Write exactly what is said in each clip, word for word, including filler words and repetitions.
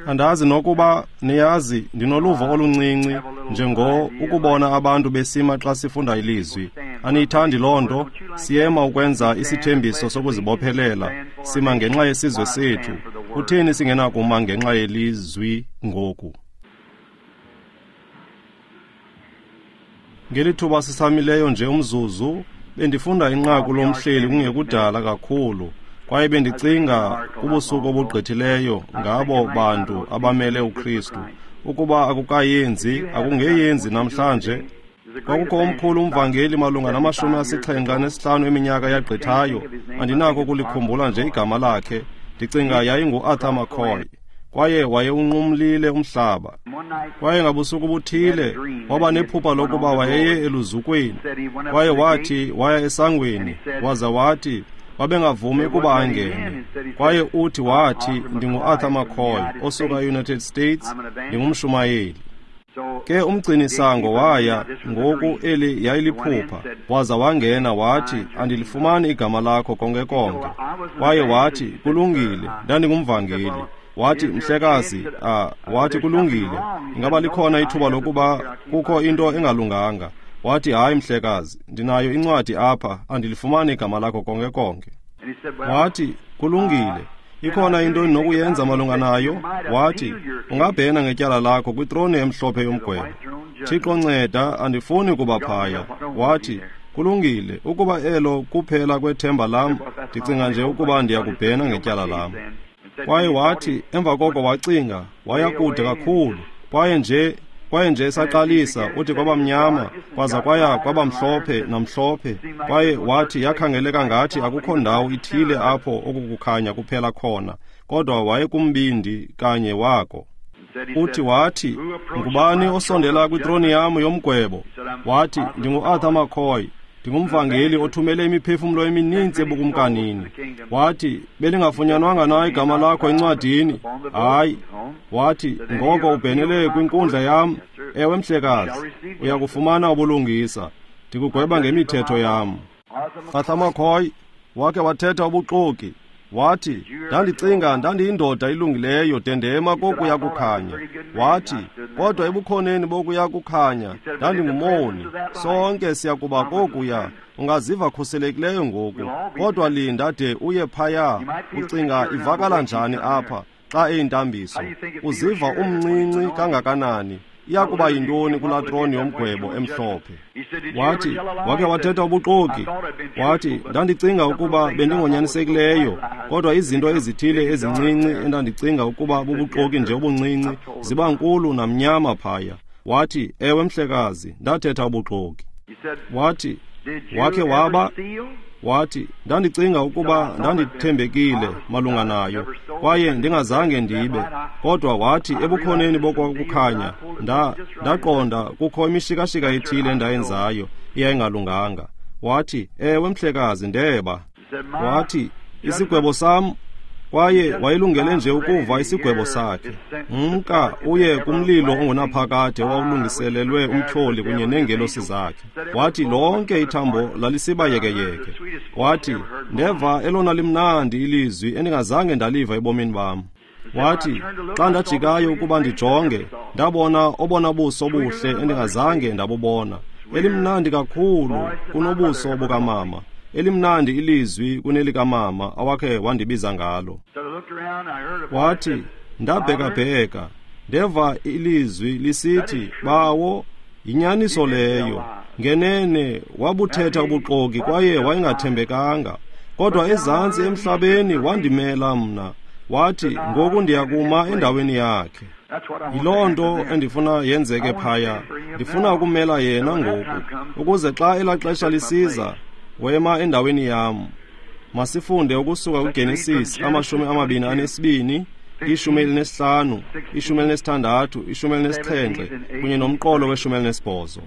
Andazi nokuba niyazi, ndinoluvo oluncinci njengo ukubona abantu besima xa sifunda ilizwi. Aniyithandi loo nto? Siyema ukwenza isithembiso sokuzibophelela, sima ngenxa yesizwe sethu. Kutheni singenakuma ngenxa yelizwi ngoku? Ngeli thuba sisamileyo nje umzuzu, bendifunda inqaku lomhleli kungekudala kakhulu, kwaye bendicinga kubusuku obugqithileyo ngabo bantu abamele uKristu. Ukuba akukayenzi, akungeyenzi namhlanje. Kwakukho omkhulu umvangeli malunga namashumi asixhenxe anesihlanu eminyaka yagqithayo. Andinako ukulikhumbula nje igama lakhe. Ndicinga yayinguArthur McCoy. Kwaye wayewunqumlile umhlaba. Kwaye ngabusuku buthile waba nephupha lokuba wayeye eluzukweni. Kwaye wathi waya esangweni, waza wathi babengavumi ukuba angene. Kwaye uthi wathi, ndinguArthur McCoy osuka eUnited States, ndingumshumayeli. Ke umgcinisango waya, ngoku eli yayiliphupha, waza wangena wathi, andilifumani igama lakho konke konke. Kwaye wathi, kulungile, ndandingumvangeli. Wathi, mhlekazi, ah, wathi kulungile, ingaba likhona ithuba lokuba kukho into engalunganga. Wathi, hayi mhlekazi, ndinayo incwadi apha, andilifumani igama lakho konke konke. Wathi, kulungile, ikhona into endinokuyenza malunga nayo. Wathi, ungabhena ngetyala lakho kwitrone emhlophe yomgwebo. Thixo nceda, andifuni kuba phaya. Wathi, kulungile, ukuba elo kuphela kwethemba lam, ndicinga nje ukuba ndiyakubhena ngetyala lam. Kwaye wathi, emva koko wacinga, waya kude kakhulu. Kwaye nje kwaye nje esaqalisa, uthi kwabamnyama, kwaza kwaya kwabamhlophe namhlophe. Kwaye wathi yakhangeleka ngathi akukho ndawo ithile apho okukukhanya kuphela khona, kodwa wayekumbindi kanye wako. Uthi wathi, ngubani osondela kwitroni yam yomgwebo? Wathi, ndinguArthur McCoy, ndingumvangeli othumele imiphefumlo emininzi ebukumkanini. Wathi, belingafunyanwanga na igama lakho encwadini? Hayi. Wathi, ngoko ubhenele kwinkundla yam. Ewe mhlekazi, uyakufumana ubulungisa. Ndikugweba ngemithetho yam. Arthur McCoy wakhe wathetha ubuxoki. Wathi, ndandicinga ndandiyindoda ilungileyo de ndema kokuya kukhanya. Wathi, kodwa ebukhoneni bokuya kukhanya ndandingumoni. Sonke siyakuba kokuya. Ungaziva khuselekileyo ngoku, kodwa linda de uye phaya. Ucinga ivakala njani apha xa eyintambiso? Uziva umncinci kangakanani? Iyakuba yintoni kulaa troni yomgwebo emhlophe? Wathi, wakhe wathetha ubuxoki. Wathi, ndandicinga ukuba bendingonyanisekileyo, kodwa izinto ezithile ezincinci endandicinga ukuba bubuxoki nje obuncinci ziba nkulu namnyama phaya. Wathi, ewe mhlekazi, ndathetha ubuxoki. Wathi, wakhe waba? Wathi, ndandicinga ukuba ndandithembekile malunga nayo, kwaye ndingazange ndibe. Kodwa wathi, ebukhoneni bokwakukhanya, nda ndaqonda kukho imishikashika ethile endayenzayo eyayingalunganga. Wathi, ewe mhlekazi, ndeba. Wathi, isigwebo sam. Kwaye wayelungele nje ukuva isigwebo sakhe. Mka uye kumlilo ongunaphakade owawulungiselelwe umtyholi kunye neengelosi zakhe. Wathi lonke ithambo lalisiba yekeyeke. Wathi, ndeva elona limnandi ilizwi endingazange ndaliva ebomini bam. Wathi, xa ndajikayo ukuba ndijonge, ndabona obona buso buhle endingazange ndabubona. Elimnandi kakhulu kunobuso bukamama. Elimnandi ilizwi kunelikamama awakhe wandibiza ngalo. Wathi, ndabhekabheka, ndeva ilizwi lisithi, bawo, yinyaniso leyo. Ngenene wabuthetha ubuxoki kwaye wayengathembekanga, kodwa ezantsi emhlabeni wandimela mna. Wathi, ngoku ndiyakuma endaweni yakhe. Yiloo nto endifuna yenzeke phaya. Ndifuna ukumela yena ngoku, ukuze xa elaa xesha lisiza, wema endaweni yam. Masifunde ukusuka kuGenesis amashumi amabini anesibini, ishumi elinesihlanu, ishumi elinesithandathu, ishumi elinesixhenxe kunye nomqolo weshumi elinesibhozo.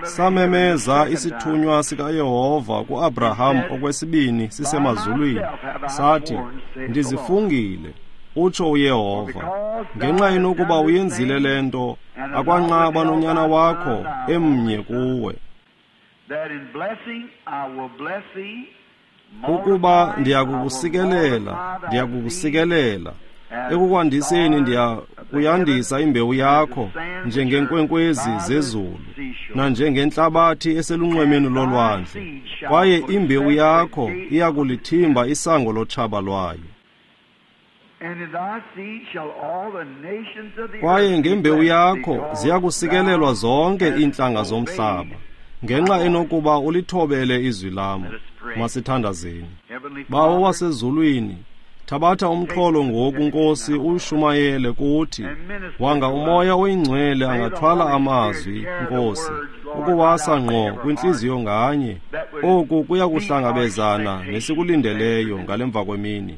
Samemeza isithunywa sikaYehova kuAbraham okwesibini sisemazulwini, sathi, ndizifungile, utsho uYehova, ngenxa yenokuba uyenzile le nto, akwanqaba nonyana wakho emnye kuwe. That in blessing I will bless thee, Ukuba ndiyakukusikelela, ndiyakukusikelela. Ekukwandiseni ndiya kuyandisa imbewu yakho njengenkwenkwezi zezulu nanjengentlabathi eselunxwemeni lolwandle, kwaye imbewu yakho iya kulithimba isango lotshaba lwayo. Kwaye ngembewu yakho ziya kusikelelwa zonke iintlanga zomhlaba, ngenxa enokuba ulithobele izwi lam. Masithandazeni. Bawo wasezulwini, thabatha umxholo ngoku, Nkosi, uwushumayele kuthi. Wanga uMoya oyiNgcwele angathwala amazwi, Nkosi, ukuwasa ngqo kwintliziyo nganye. Oku kuya kuhlangabezana nesikulindeleyo ngale mva kwemini,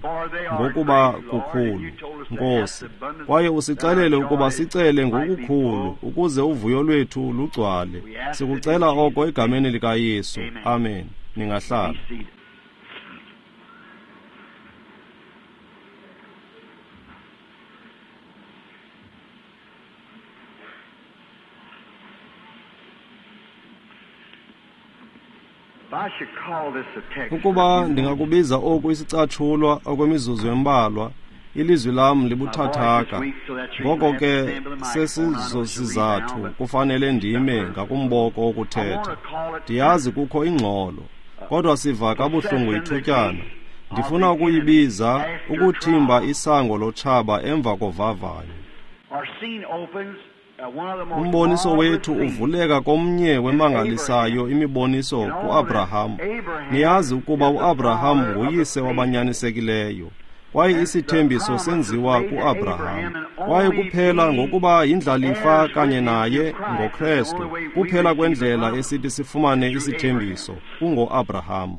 ngokuba kukhulu, Nkosi. Kwaye usixelele ukuba sicele ngokukhulu ukuze uvuyo lwethu lugcwale. Sikucela oko egameni likaYesu. Amen. Ningahlala. Ukuba ndingakubiza oku isicatshulwa okwemizuzu embalwa, ilizwi lam libuthathaka. Ngoko ke sesizosizathu kufanele ndime ngakumboko wokuthetha. Ndiyazi kukho ingxolo, kodwa siva kabuhlungu ithutyana. Ndifuna ukuyibiza ukuthimba isango lotshaba emva kovavanyo. Umboniso wethu uvuleka komnye wemangalisayo imiboniso ku-Abraham. Niyazi ukuba u-Abraham nguyise wabanyanisekileyo, kwaye isithembiso senziwa ku-Abraham. Kwaye kuphela ngokuba yindlalifa kanye naye ngoKrestu, kuphela kwendlela esithi sifumane isithembiso kungo-Abraham.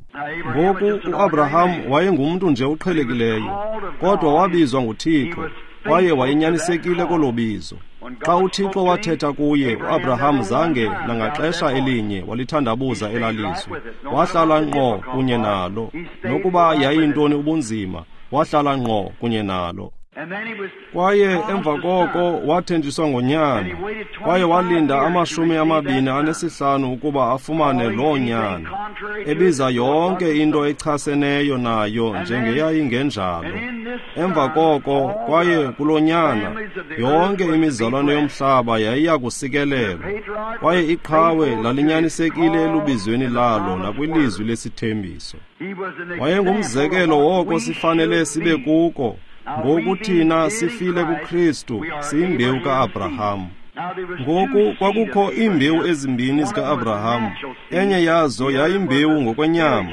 Ngoku u-Abraham wayengumntu nje oqhelekileyo, kodwa wabizwa nguThixo, kwaye wayenyanisekile kolo bizo. Xa uThixo wathetha kuye, u-Abraham zange nangaxesha elinye walithandabuza elalizwi. Wahlala ngqo kunye nalo. Nokuba yayintoni ubunzima, wahlala ngqo kunye nalo. Kwaye emva koko wathenjiswa ngonyana, kwaye walinda amashumi amabini anesihlanu ukuba afumane loo nyana, ebiza yonke into echaseneyo nayo njengeyayingenjalo. Emva koko, kwaye kulo nyana, yonke imizalwane yomhlaba yayiya kusikelelwa, kwaye iqhawe lalinyanisekile elubizweni lalo nakwilizwi lesithembiso. Wayengumzekelo woko sifanele sibe kuko. Ngoku thina sifile kuKristu, siyimbewu ka-Abraham. Ngoku kwakukho iimbewu ezimbini zika-Abraham. Enye yazo yayimbewu ngokwenyama,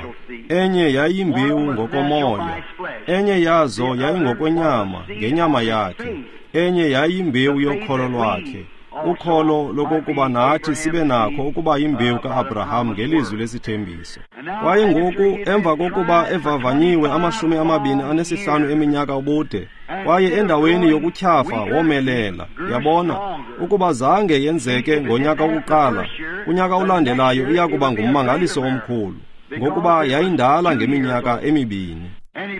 enye yayimbewu ngokomoya. Enye yazo yayingokwenyama, ngenyama yakhe. Enye yayimbewu yokholo lwakhe, ukholo lokokuba nathi sibe nakho ukuba yimbewu ka-Abraham ngelizwi lesithembiso. Kwaye ngoku emva kokuba evavanyiwe amashumi amabini anesihlanu eminyaka ubude, kwaye endaweni yokutyhafa womelela. Yabona, ukuba zange yenzeke ngonyaka wokuqala, kunyaka olandelayo iya kuba ngummangaliso omkhulu, ngokuba yayindala ngeminyaka emibini.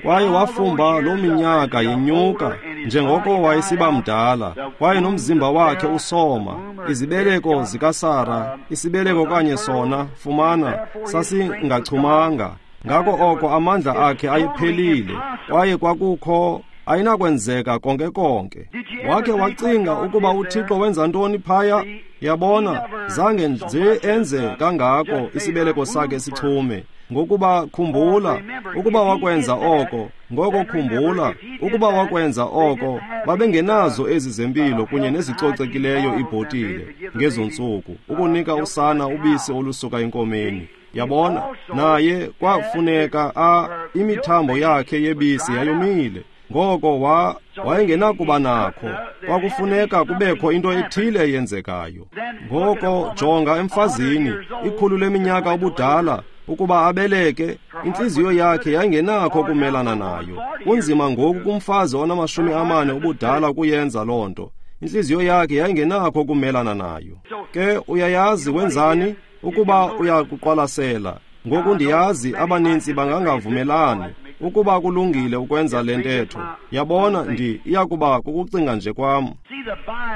Kwaye wafumba loo minyaka yenyuka njengoko wayesiba mdala, kwaye nomzimba wakhe usoma. Izibeleko zikaSara, isibeleko kanye sona, fumana, sasingachumanga. Ngako oko amandla akhe ayephelile, kwaye kwakukho ayinakwenzeka konke konke. Wakhe wacinga ukuba uThixo wenza ntoni phaya? Yabona, zange nje enze kangako isibeleko sakhe sichume. Ngokuba khumbula, ukuba wakwenza oko, ngoko khumbula, ukuba wakwenza oko, babengenazo ezi zempilo kunye nezicocekileyo iibhotile ngezo ntsuku, ukunika usana ubisi olusuka enkomeni. Yabona, naye kwafuneka a imithambo yakhe yebisi yayomile. Ngoko wa wayengenakuba nakho, kwakufuneka kubekho into ethile eyenzekayo. Ngoko jonga emfazini, ikhulu leminyaka ubudala, ukuba abeleke, intliziyo yakhe yayingenakho ukumelana nayo. Kunzima ngoku kumfazi onamashumi amane ubudala ukuyenza loo nto. Intliziyo yakhe yayingenakho ukumelana nayo. Ke uyayazi wenzani? Ukuba uyakuqwalasela. Ngoku ndiyazi abanintsi bangangavumelani ukuba kulungile ukwenza le ntetho. Yabona, ndi iyakuba kukucinga nje kwam.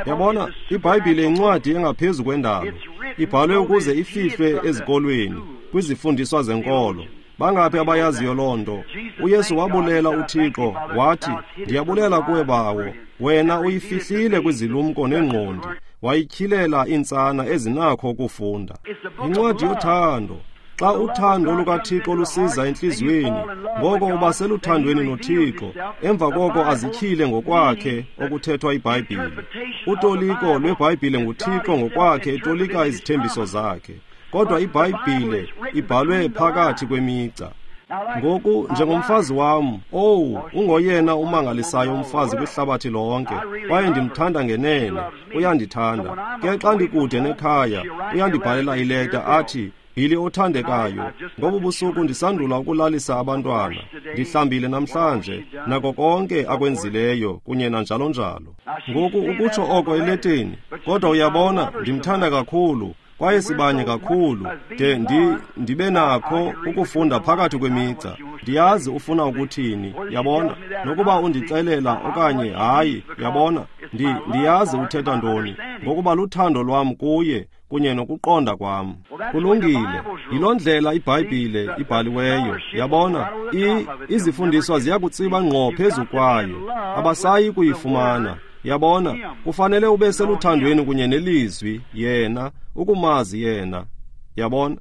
Yabona, iBhayibhile incwadi engaphezu kwendalo. Ibhalwe ukuze ifihlwe ezikolweni, kwizifundiswa zenkolo. Bangaphi abayaziyo loo nto? UYesu wabulela uThixo, wathi, ndiyabulela kuwe Bawo, wena uyifihlile kwizilumko neengqondi, wayityhilela iintsana ezinakho ukufunda. Yincwadi yothando. Xa uthando lukaThixo lusiza entliziyweni, ngoko uba seluthandweni noThixo, emva koko azityhile ngokwakhe okuthethwa iBhayibhile. Utoliko lweBhayibhile nguThixo ngokwakhe etolika izithembiso zakhe. Kodwa iBhayibhile ibhalwe phakathi kwemigca. Ngoku njengomfazi wam, owu, ungoyena umangalisayo umfazi kwihlabathi lonke, kwaye ndimthanda ngenene, uyandithanda. Ke xa ndikude nekhaya, uyandibhalela ileta athi, Billy othandekayo, ngobu busuku ndisandula ukulalisa abantwana, ndihlambile namhlanje, nako konke akwenzileyo, kunye nanjalo njalo. Ngoku ukutsho oko eleteni, kodwa uyabona, ndimthanda kakhulu, kwaye sibanye kakhulu, de ndi, ndibe nakho ukufunda phakathi kwemigca. Ndiyazi ufuna ukuthini, yabona, nokuba undixelela okanye hayi, yabona, ndi, ndiyazi uthetha ntoni, ngokuba luthando lwam kuye, kunye nokuqonda kwam. Kulungile, yiloo ndlela iBhayibhile ibhaliweyo, yabona, i, izifundiswa ziyakutsiba ngqo phezu kwayo, abasayi kuyifumana. Yabona, kufanele ube seluthandweni kunye nelizwi, yena, ukumazi yena. Yabona?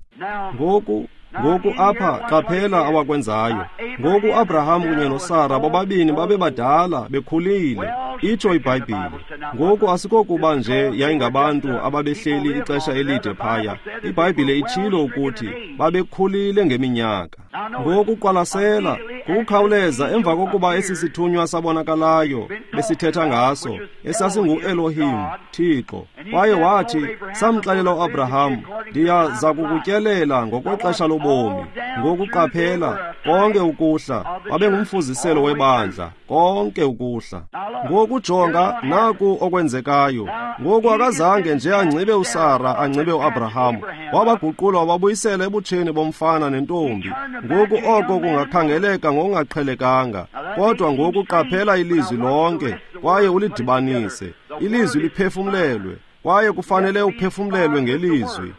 Ngoku, ngoku apha qaphela awakwenzayo. Ngoku Abraham kunye noSara bobabini babebadala, bekhulile, itsho iBhayibhile. Ngoku asikokuba nje yayingabantu ababehleli ixesha elide phaya. IBhayibhile itshilo ukuthi babekhulile ngeminyaka. Ngoku qwalasela, ngokukhawuleza emva kokuba esi sithunywa sabonakalayo besithetha ngaso, esasingu-Elohim, Thixo. Kwaye wathi, samxelela uAbraham, ndiyaza kukutyelela ngokwexesha lobomi. Ngoku qaphela, konke ukuhla, babengumfuziselo webandla, konke ukuhla. Ngoku jonga, naku okwenzekayo. Ngoku akazange nje angcibe uSara, angcibe uAbraham. Wabaguqula wababuyisela ebutsheni bomfana nentombi. Ngoku oko kungakhangeleka ngokungaqhelekanga, kodwa ngoku qaphela ilizwi lonke, kwaye ulidibanise. Ilizwi liphefumlelwe, kwaye kufanele uphefumlelwe ngelizwi.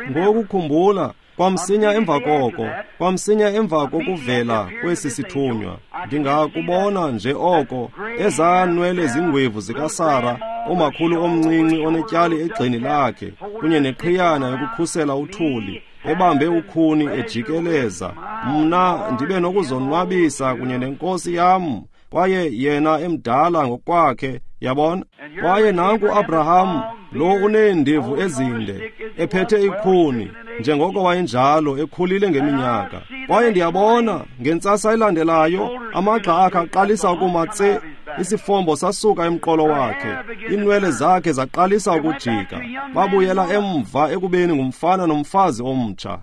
Ngoku khumbula, kwamsinya emva koko, kwamsinya emva kokuvela kwesi sithunywa, ndingakubona nje oko, ezaa nwele zingwevu zikaSara, umakhulu omncinci onetyali egxeni lakhe, kunye neqhiyana yokukhusela uthuli, ebambe ukhuni ejikeleza. Mna ndibe nokuzonwabisa kunye nenkosi yam, kwaye yena emdala ngokwakhe, yabona. Kwaye nanku Abraham, lo uneendevu ezinde, ephethe ikhuni, njengoko wayenjalo, ekhulile ngeminyaka. Kwaye ndiyabona, ngentsasa elandelayo, amagxa akhe aqalisa ukuma tse, isifombo sasuka emqolo wakhe, inwele zakhe zaqalisa ukujika, babuyela emva ekubeni ngumfana nomfazi omtsha.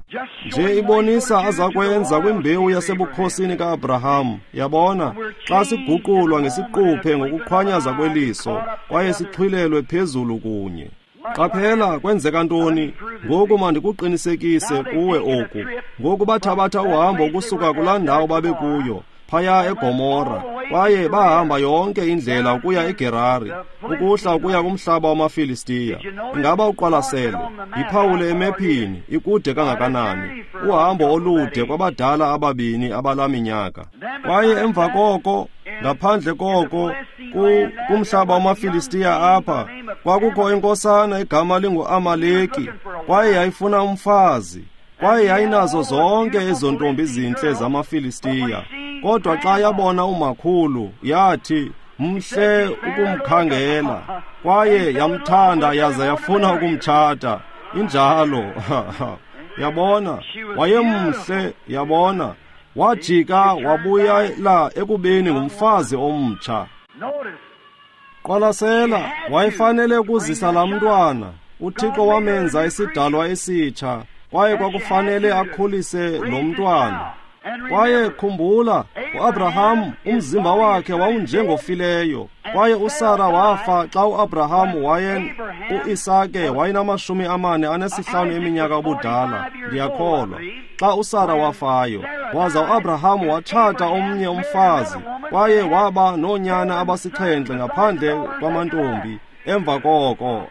Nje ibonisa azakwenza kwimbewu yasebukhosini ka-Abraham, yabona, xa siguqulwa ngesiquphe ngokuqhwanyaza kweliso, kwaye sixhwilelwe phezulu kunye. Qaphela, kwenzeka ntoni? Ngoku mandikuqinisekise kuwe oku. Ngoku bathabatha uhambo ukusuka kulaa ndawo babekuyo, phaya eGomora, kwaye bahamba yonke indlela ukuya eGerari, ukuhla ukuya kumhlaba wamaFilistiya. Ingaba uqwalasele, yiphawule emephini, ikude kangakanani, uhambo olude kwabadala ababini abalaminyaka. Kwaye emva koko, ngaphandle koko, kumhlaba wamaFilistiya apha, kwakukho inkosana egama linguAmaleki, kwaye yayifuna umfazi, kwaye yayinazo zonke ezo ntombi zintle zamaFilistiya. Kodwa xa yabona umakhulu, yathi, mhle ukumkhangela, kwaye yamthanda yaza yafuna ukumtshata. Injalo. Yabona, wayemhle, yabona. Wajika wabuyela ekubeni ngumfazi omtsha. Qwalasela, wayefanele ukuzisa laa mntwana. UThixo wamenza isidalwa esitsha, kwaye kwakufanele akhulise lo mntwana. Kwaye khumbula, uAbraham umzimba wakhe wawunjengofileyo, kwaye uSara wafa xa uAbraham waye uIsake wayenamashumi amane anesihlanu eminyaka ubudala, ndiyakholwa, xa uSara wafayo. Waza uAbraham watshata omnye umfazi, kwaye waba noonyana abasixhenxe ngaphandle kwamantombi emva koko.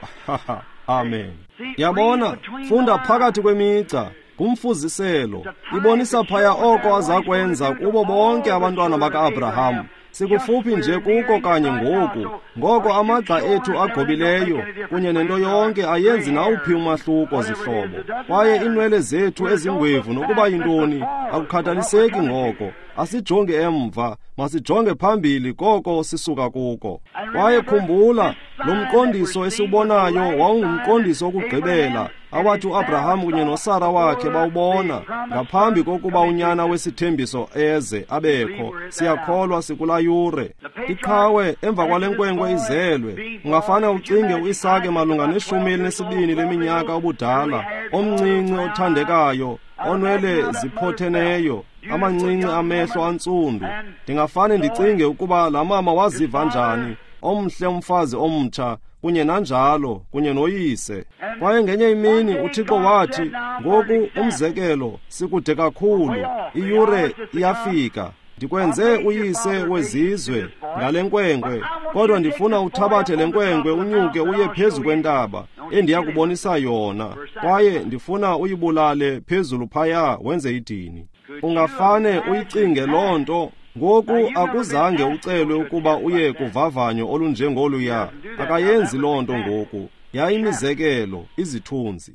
Amen. Yabona, funda phakathi kwemigca. Ngumfuziselo, ibonisa phaya oko aza kwenza kubo bonke abantwana baka-Abraham. Sikufuphi nje kuko kanye ngoku. Ngoko amagxa ethu agobileyo kunye nento yonke ayenzi nawuphi umahluko, zihlobo. Kwaye iinwele zethu ezingwevu nokuba yintoni akukhathaliseki ngoko. Asijonge emva, masijonge phambili koko sisuka kuko. Kwaye khumbula, lo mqondiso esiwubonayo wawungumqondiso wokugqibela awathi uAbraham kunye noSara wakhe bawubona ngaphambi kokuba unyana wesithembiso eze abekho. Siyakholwa sikulaa yure. Iqhawe emva kwale nkwenkwe izelwe, ungafane ucinge uIsake malunga neshumi elinesibini leminyaka obudala, omncinci othandekayo, onwele ziphotheneyo, amancinci amehlo antsundu. Ndingafane ndicinge ukuba laa mama waziva njani, omhle umfazi omtsha, kunye nanjalo, kunye noyise. Kwaye ngenye imini uThixo wathi, ngoku umzekelo, sikude kakhulu, iyure iyafika. Ndikwenze uyise wezizwe ngale nkwenkwe, kodwa ndifuna uthabathe le nkwenkwe unyuke uye phezu kwentaba endiyakubonisa yona, kwaye ndifuna uyibulale phezulu phaya wenze idini. Ungafane uyicinge loo nto. Ngoku akuzange ucelwe ukuba uye kuvavanyo olunjengoluya. Akayenzi loo nto ngoku. Yayimizekelo, izithunzi.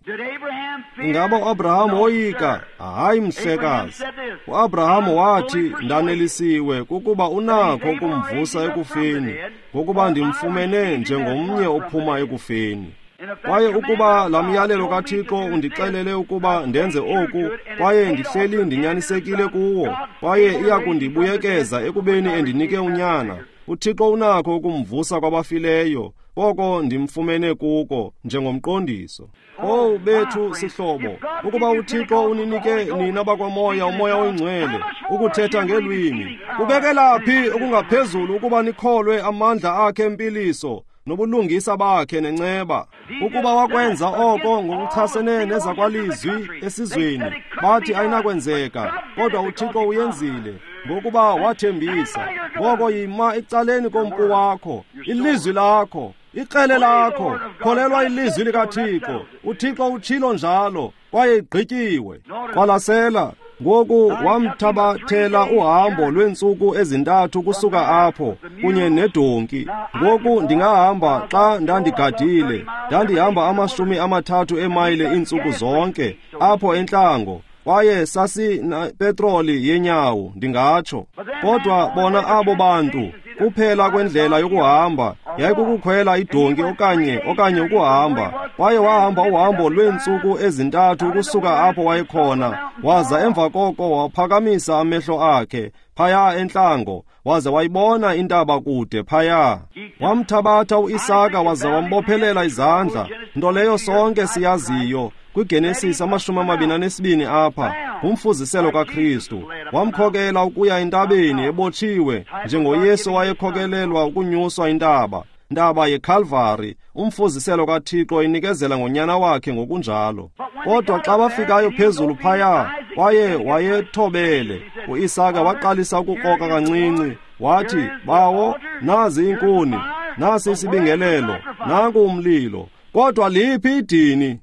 Ingaba uAbraham woyika? Hayi, mhlekazi. uAbraham wathi, ndanelisiwe kukuba unakho ukumvusa ekufeni, ngokuba ndimfumene njengomnye ophuma ekufeni. Kwaye ukuba laa myalelo kaThixo undixelele ukuba ndenze oku, kwaye ndihleli ndinyanisekile kuwo, kwaye iya kundibuyekeza ekubeni endinike unyana, uThixo unakho ukumvusa kwabafileyo, koko ndimfumene kuko njengomqondiso. Owu bethu sihlobo, ukuba uThixo uninike nina bakwamoya umoya oyingcwele ukuthetha ngeelwimi, kubekela phi okungaphezulu ukuba nikholwe amandla akhe empiliso nobulungisa bakhe nenceba? Ukuba wakwenza oko ngokuchasene nezakwalizwi esizweni, bathi ayinakwenzeka, kodwa uThixo uyenzile, ngokuba wathembisa. Ngoko yima ecaleni kompu wakho, ilizwi lakho, ikrele lakho, kholelwa ilizwi likaThixo. UThixo utshilo njalo, kwaye igqityiwe. Qwalasela. Ngoku wamthabathela uhambo lweentsuku ezintathu kusuka apho kunye nedonki. Ngoku ndingahamba xa ndandigadile, ndandihamba amashumi amathathu emayile iintsuku zonke apho entlango, kwaye sasinepetroli yenyawo, ndingatsho. Kodwa bona abo bantu, kuphela kwendlela yokuhamba yayikukukhwela idonki okanye okanye ukuhamba. Kwaye wahamba uhambo lweentsuku ezintathu ukusuka apho wayekhona, waza emva koko waphakamisa amehlo akhe phaya entlango, waze wayibona intaba kude phaya. Wamthabatha uIsaka waza wambophelela izandla, nto leyo sonke siyaziyo kwiGenesis amashumi amabini anesibini apha, ngumfuziselo kaKristu. Wamkhokela ukuya entabeni ebotshiwe, njengoYesu wayekhokelelwa ukunyuswa intaba, ntaba yeKalvari, umfuziselo kaThixo inikezela ngonyana wakhe ngokunjalo. Kodwa xa bafikayo phezulu phaya, kwaye wayethobele, uIsaka waqalisa ukukroka kancinci. Wathi, bawo, nazi iinkuni, nasi isibingelelo, nanku umlilo, kodwa liphi idini?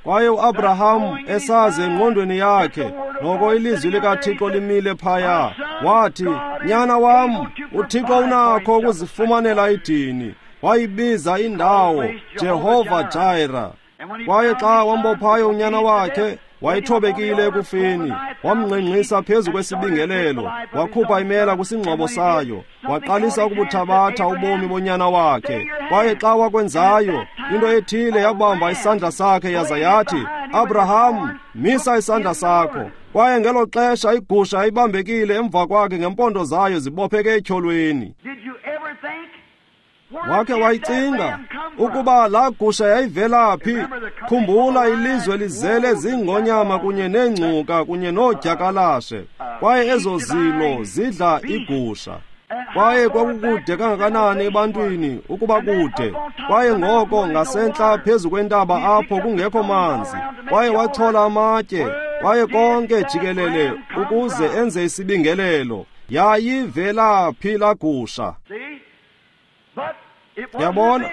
Kwaye uAbraham esazi engqondweni yakhe noko ilizwi likaThixo limile phaya, wathi, nyana wam, uThixo unakho ukuzifumanela idini. Wayibiza indawo Jehova Jireh. Kwaye xa wambophayo unyana wakhe, wayethobekile ekufeni, wamngqengqisa phezu kwesibingelelo, wakhupha imela kwisingxobo sayo, waqalisa ukubuthabatha ubomi bonyana wakhe. Kwaye xa wakwenzayo, into ethile yabamba isandla sakhe yaza yathi, Abraham, misa isandla sakho. Kwaye ngelo xesha igusha yayibambekile emva kwakhe ngempondo zayo zibopheke etyholweni. Wakhe wayicinga ukuba laa gusha yayivela phi? Khumbula, ilizwe lizele ziingonyama kunye neengcuka kunye noodyakalashe, kwaye ezo zilo zidla igusha. Kwaye kwakukude kangakanani ebantwini ukuba kude. Kwaye ngoko ngasentla phezu kwentaba apho kungekho manzi, kwaye wachola amatye, kwaye konke jikelele ukuze enze isibingelelo. Yayivela phi laa gusha? Yabona,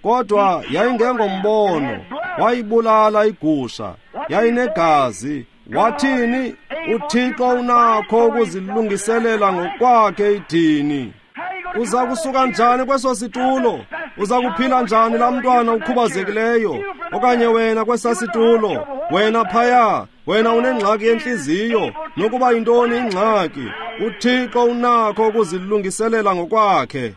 kodwa yayingengombono. Wayibulala igusha, Yayinegazi. Wathini? UThixo unakho ukuzilungiselela ngokwakhe idini. Uza kusuka njani kweso situlo? Uza kuphila njani laa mntwana ukhubazekileyo? Okanye wena kwesa situlo, wena phaya, wena unengxaki yentliziyo, nokuba yintoni ingxaki, uThixo unakho ukuzilungiselela ngokwakhe.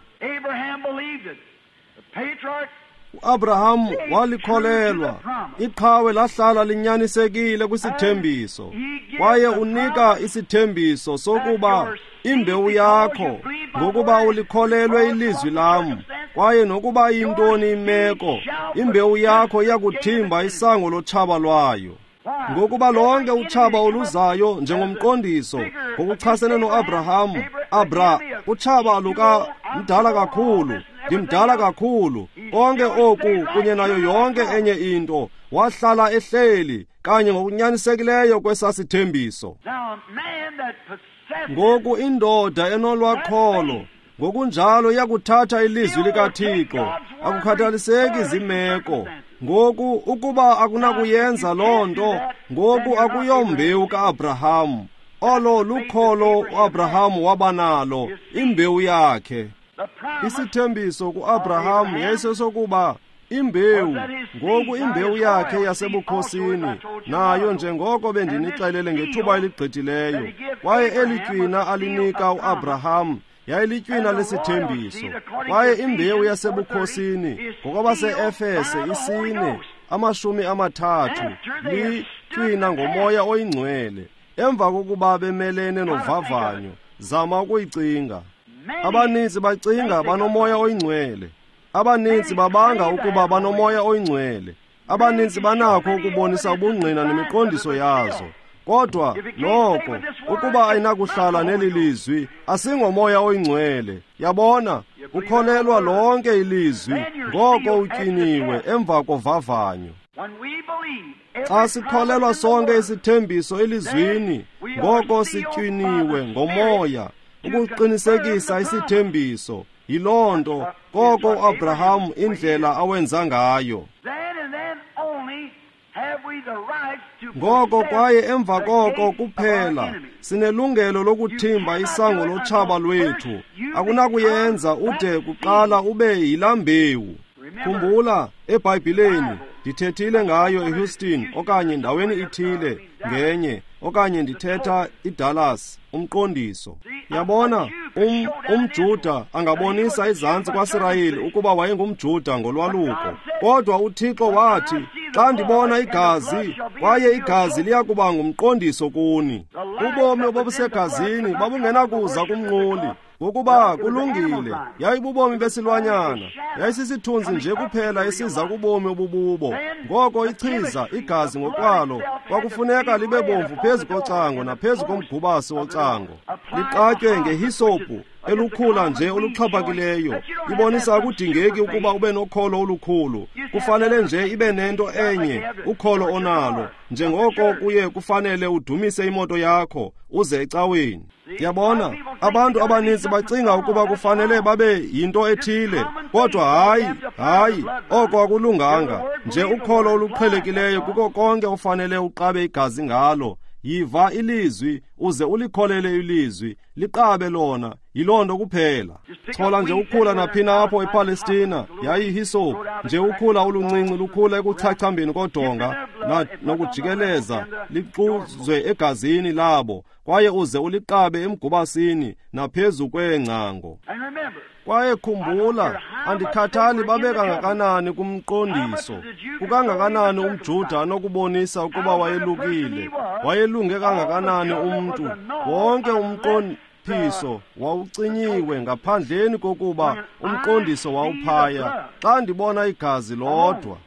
uAbraham walikholelwa. Iqhawe lahlala linyanisekile kwisithembiso, kwaye unika isithembiso sokuba imbewu yakho, ngokuba ulikholelwe ilizwi lam, kwaye nokuba yintoni imeko, imbewu yakho iyakuthimba isango lotshaba lwayo. Ngokuba lonke utshaba oluzayo njengomqondiso ngokuchasene noAbraham, Abra, utshaba luka mdala kakhulu, ndimdala kakhulu, konke oku kunye nayo yonke enye into, wahlala ehleli kanye ngokunyanisekileyo kwesasithembiso. Ngoku indoda enolwakholo ngokunjalo iyakuthatha ilizwi likaThixo, akukhathaliseki zimeko. Ngoku ukuba akunakuyenza loo nto, ngoku akuyombewu kaAbraham. Olo lukholo uAbraham wabanalo, imbewu yakhe. Isithembiso kuAbraham yayisesokuba imbewu, ngoku imbewu yakhe yasebukhosini, nayo njengoko bendinixelele ngethuba eligqithileyo, kwaye eli tywina alinika uAbraham yayilitywina lesithembiso. Kwaye imbewu yasebukhosini ngokwabase-Efese isine amashumi amathathu litywina ngoMoya oyiNgcwele. Emva kokuba bemelene novavanyo, zama ukuyicinga. Abaninzi bacinga banoMoya oyiNgcwele. Abaninzi babanga ukuba banoMoya oyiNgcwele. Abaninzi banakho ukubonisa ubungqina nemiqondiso yazo. Kodwa noko ukuba ayinakuhlala neli lizwi, asingoMoya oyiNgcwele. Yabona, ukholelwa lonke ilizwi, ngoko utyiniwe emva kovavanyo. Xa sikholelwa sonke isithembiso elizwini, ngoko sityiniwe ngoMoya ukuqinisekisa isithembiso. Yiloo nto koko uAbraham indlela awenza ngayo. Ngoko kwaye emva koko kuphela sinelungelo lokuthimba isango lotshaba lwethu. Akunakuyenza ude kuqala ube yilaa mbewu. Khumbula, eBhayibhileni ndithethile ngayo eHouston okanye ndaweni ithile ngenye, okanye ndithetha iDallas, umqondiso. Yabona, um, umJuda angabonisa izantsi kwaSirayeli ukuba wayengumJuda ngolwaluko. Kodwa uThixo wathi, xa ndibona igazi, kwaye igazi liyakuba ngumqondiso kuni. Ubomi obubusegazini babungenakuza kumnquli, ngokuba kulungile, yayibubomi besilwanyana, yayisisithunzi nje kuphela esiza kubomi obububo. Ngoko ichiza igazi ngokwalo kwakufuneka libe bomvu phezu kocango naphezu komgubasi wocango, liqatywe ngehisopu elukhula nje oluxhaphakileyo. Ibonisa akudingeki ukuba ube nokholo olukhulu, kufanele nje ibe nento enye, ukholo onalo, njengoko kuye kufanele udumise imoto yakho uze ecaweni. Yabona, abantu abaninzi bacinga ukuba kufanele babe yinto ethile, kodwa hayi, hayi, oko akulunganga. Nje ukholo oluqhelekileyo kuko konke ofanele uqabe igazi ngalo. Yiva ilizwi uze ulikholele ilizwi, liqabe lona, yiloo nto kuphela. Chola nje ukhula naphina apho ePalestina, yayihisopu nje ukhula oluncinci lukhula ekuchachambeni kodonga nokujikeleza, lixuzwe egazini labo, kwaye uze uliqabe emgubasini naphezu kweengcango. Kwaye khumbula, andikhathali babe kangakanani kumqondiso, kukangakanani umJuda anokubonisa ukuba wayelukile, wayelunge kangakanani umntu, wonke umqondiso wawucinyiwe ngaphandleni kokuba umqondiso wawuphaya. Xa ndibona igazi lodwa.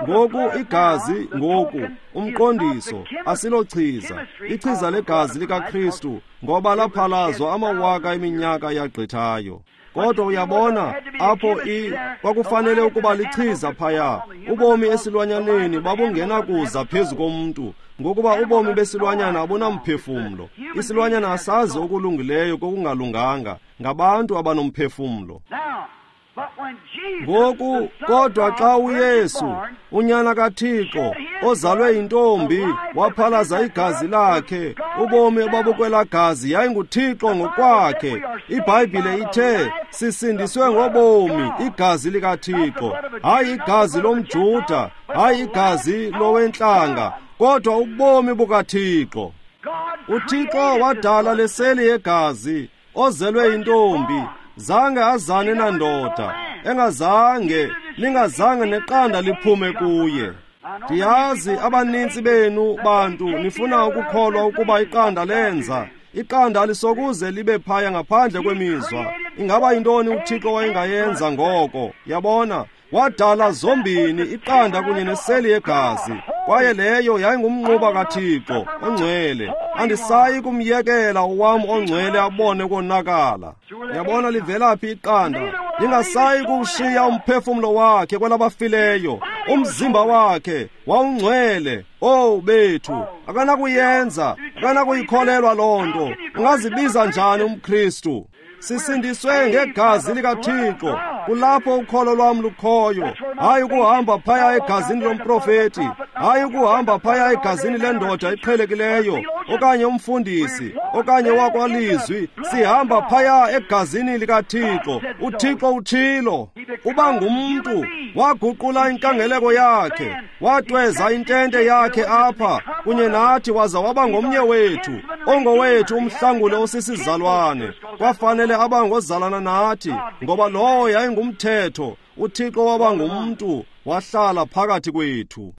Ngoku igazi, ngoku umqondiso asilochiza, ichiza legazi likaKristu, ngoba laphalazwa amawaka eminyaka yagqithayo. Kodwa uyabona apho i kwakufanele ukuba lichiza phaya. Ubomi esilwanyaneni babungenakuza phezu komntu, ngokuba ubomi besilwanyana abunamphefumlo. Isilwanyana asazi okulungileyo kokungalunganga, ngabantu abanomphefumlo. Ngoku kodwa xa uYesu, unyana kaThixo, ozalwe yintombi, waphalaza igazi lakhe, ubomi obabukwela gazi yayinguThixo ngokwakhe. IBhayibhile ithe sisindiswe ngobomi, igazi likaThixo, hayi igazi lomJuda, hayi igazi lowentlanga, kodwa ubomi bukaThixo. UThixo wadala leseli yegazi, ozelwe yintombi, zange azane nandoda, engazange lingazange neqanda liphume kuye. Ndiyazi abanintsi benu bantu nifuna ukukholwa ukuba iqanda lenza. Iqanda alisokuze libe phaya ngaphandle kwemizwa. Ingaba yintoni uThixo wayengayenza ngoko? Yabona, wadala zombini iqanda kunye neseli yegazi, kwaye leyo yayingumnquba kaThixo ongcwele. Andisayi kumyekela owam ongcwele abone konakala. Yabona livelaphi iqanda? Lingasayi kuwushiya umphefumlo wakhe kwelabafileyo. Umzimba wakhe wawungcwele. Oh bethu, akanakuyenza, akanakuyikholelwa loo nto. Ungazibiza njani umKristu? Sisindiswe ngegazi likaThixo. Kulapho ukholo lwam lukhoyo. Hayi ukuhamba phaya egazini lomprofeti, hayi ukuhamba phaya egazini lendoda eqhelekileyo, okanye umfundisi, okanye wakwalizwi. Sihamba phaya egazini likaThixo. UThixo utshilo. Uba ngumntu, waguqula inkangeleko yakhe, watweza intente yakhe apha kunye nathi, waza waba ngomnye wethu, ongowethu umhlangule osisizalwane. Kwafanele abangozalana nathi, ngoba lowo yayingumthetho. UThixo waba ngumntu, wahlala phakathi kwethu.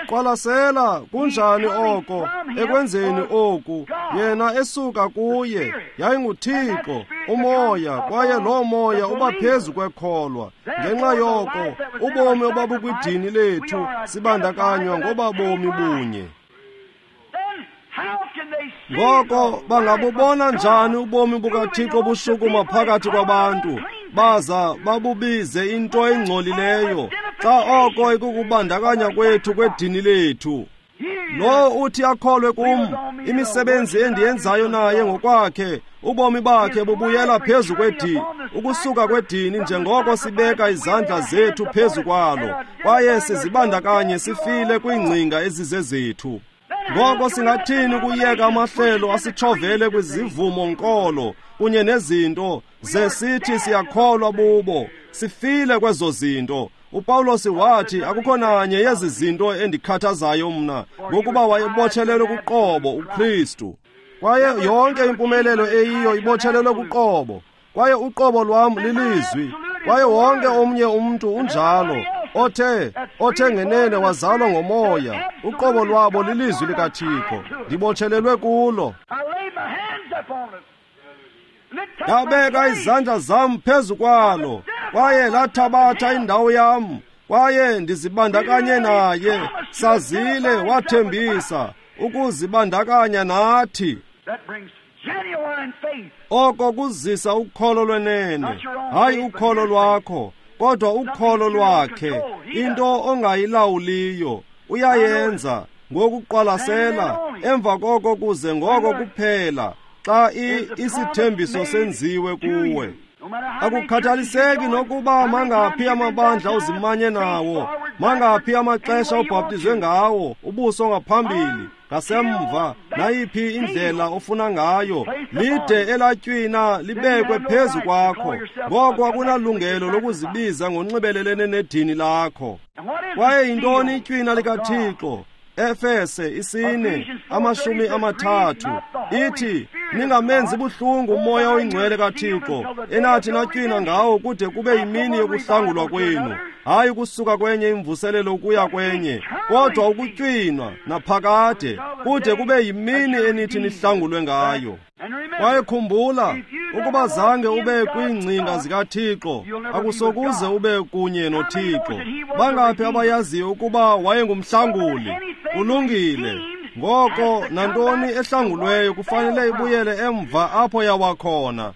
Qwalasela kunjani oko ekwenzeni oku, yena esuka kuye yayinguThixo umoya, kwaye loo moya uba phezu kwekholwa. Ngenxa yoko ubomi obabukwidini lethu sibandakanywa ngoba bomi bunye. Ngoko bangabubona njani ubomi bukaThixo bushukuma phakathi kwabantu, baza babubize into engcolileyo, xa oko ikukubandakanya kwethu kwedini lethu? Lo uthi akholwe kum, imisebenzi endiyenzayo naye ngokwakhe, ubomi bakhe bubuyela phezu kwedini, ukusuka kwedini, njengoko sibeka izandla zethu phezu kwalo, kwaye sizibandakanye sifile kwiingcinga ezizezethu. Ngoko singathini ukuyeka amahlelo asitshovele kwizivumo nkolo kunye nezinto ze sithi siyakholwa bubo? Sifile kwezo zinto. uPawulos wathi akukho nanye yezi zinto endikhathazayo mna, ngokuba wayebotshelelwe kuqobo uKristu. Kwaye yonke impumelelo eyiyo ibotshelelwe kuqobo, kwaye uqobo lwam lilizwi, kwaye wonke omnye umntu unjalo, othe othe ngenene wazalwa ngomoya, uqobo lwabo lilizwi likaThixo. Ndibotshelelwe kulo. Ndabeka izandla zam phezu kwalo, kwaye lathabatha indawo yam, kwaye ndizibandakanye naye. Sazile wathembisa ukuzibandakanya nathi. Oko kuzisa ukholo lwenene, hayi ukholo lwakho, kodwa ukholo lwakhe, into ongayilawuliyo. Uyayenza ngokuqwalasela, emva koko kuze ngoko kuphela xa isithembiso senziwe kuwe. Akukhathaliseki nokuba mangaphi amabandla uzimanye nawo, mangaphi amaxesha ubhaptizwe ngawo, ubuso ngaphambili, ngasemva, nayiphi indlela ofuna ngayo, lide elatywina libekwe phezu kwakho. Ngoko akunalungelo lokuzibiza ngonxibelelene nedini lakho. Kwaye yintoni itywina likaThixo? Efese isine amashumi amathathu ithi, ningamenzi buhlungu umoya oyingcwele kaThixo, enathi natywina ngawo kude kube yimini yokuhlangulwa kwenu. Hayi ukusuka kwenye imvuselelo ukuya kwenye, kodwa ukutywinwa naphakade kude kube yimini enithi nihlangulwe ngayo. Kwaye khumbula, ukuba zange ube kwiingcinga zikaThixo, akusokuze ube kunye noThixo. Bangaphi abayaziyo ukuba wayengumhlanguli? Kulungile. Ngoko nantoni ehlangulweyo kufanele ibuyele emva apho yawakhona.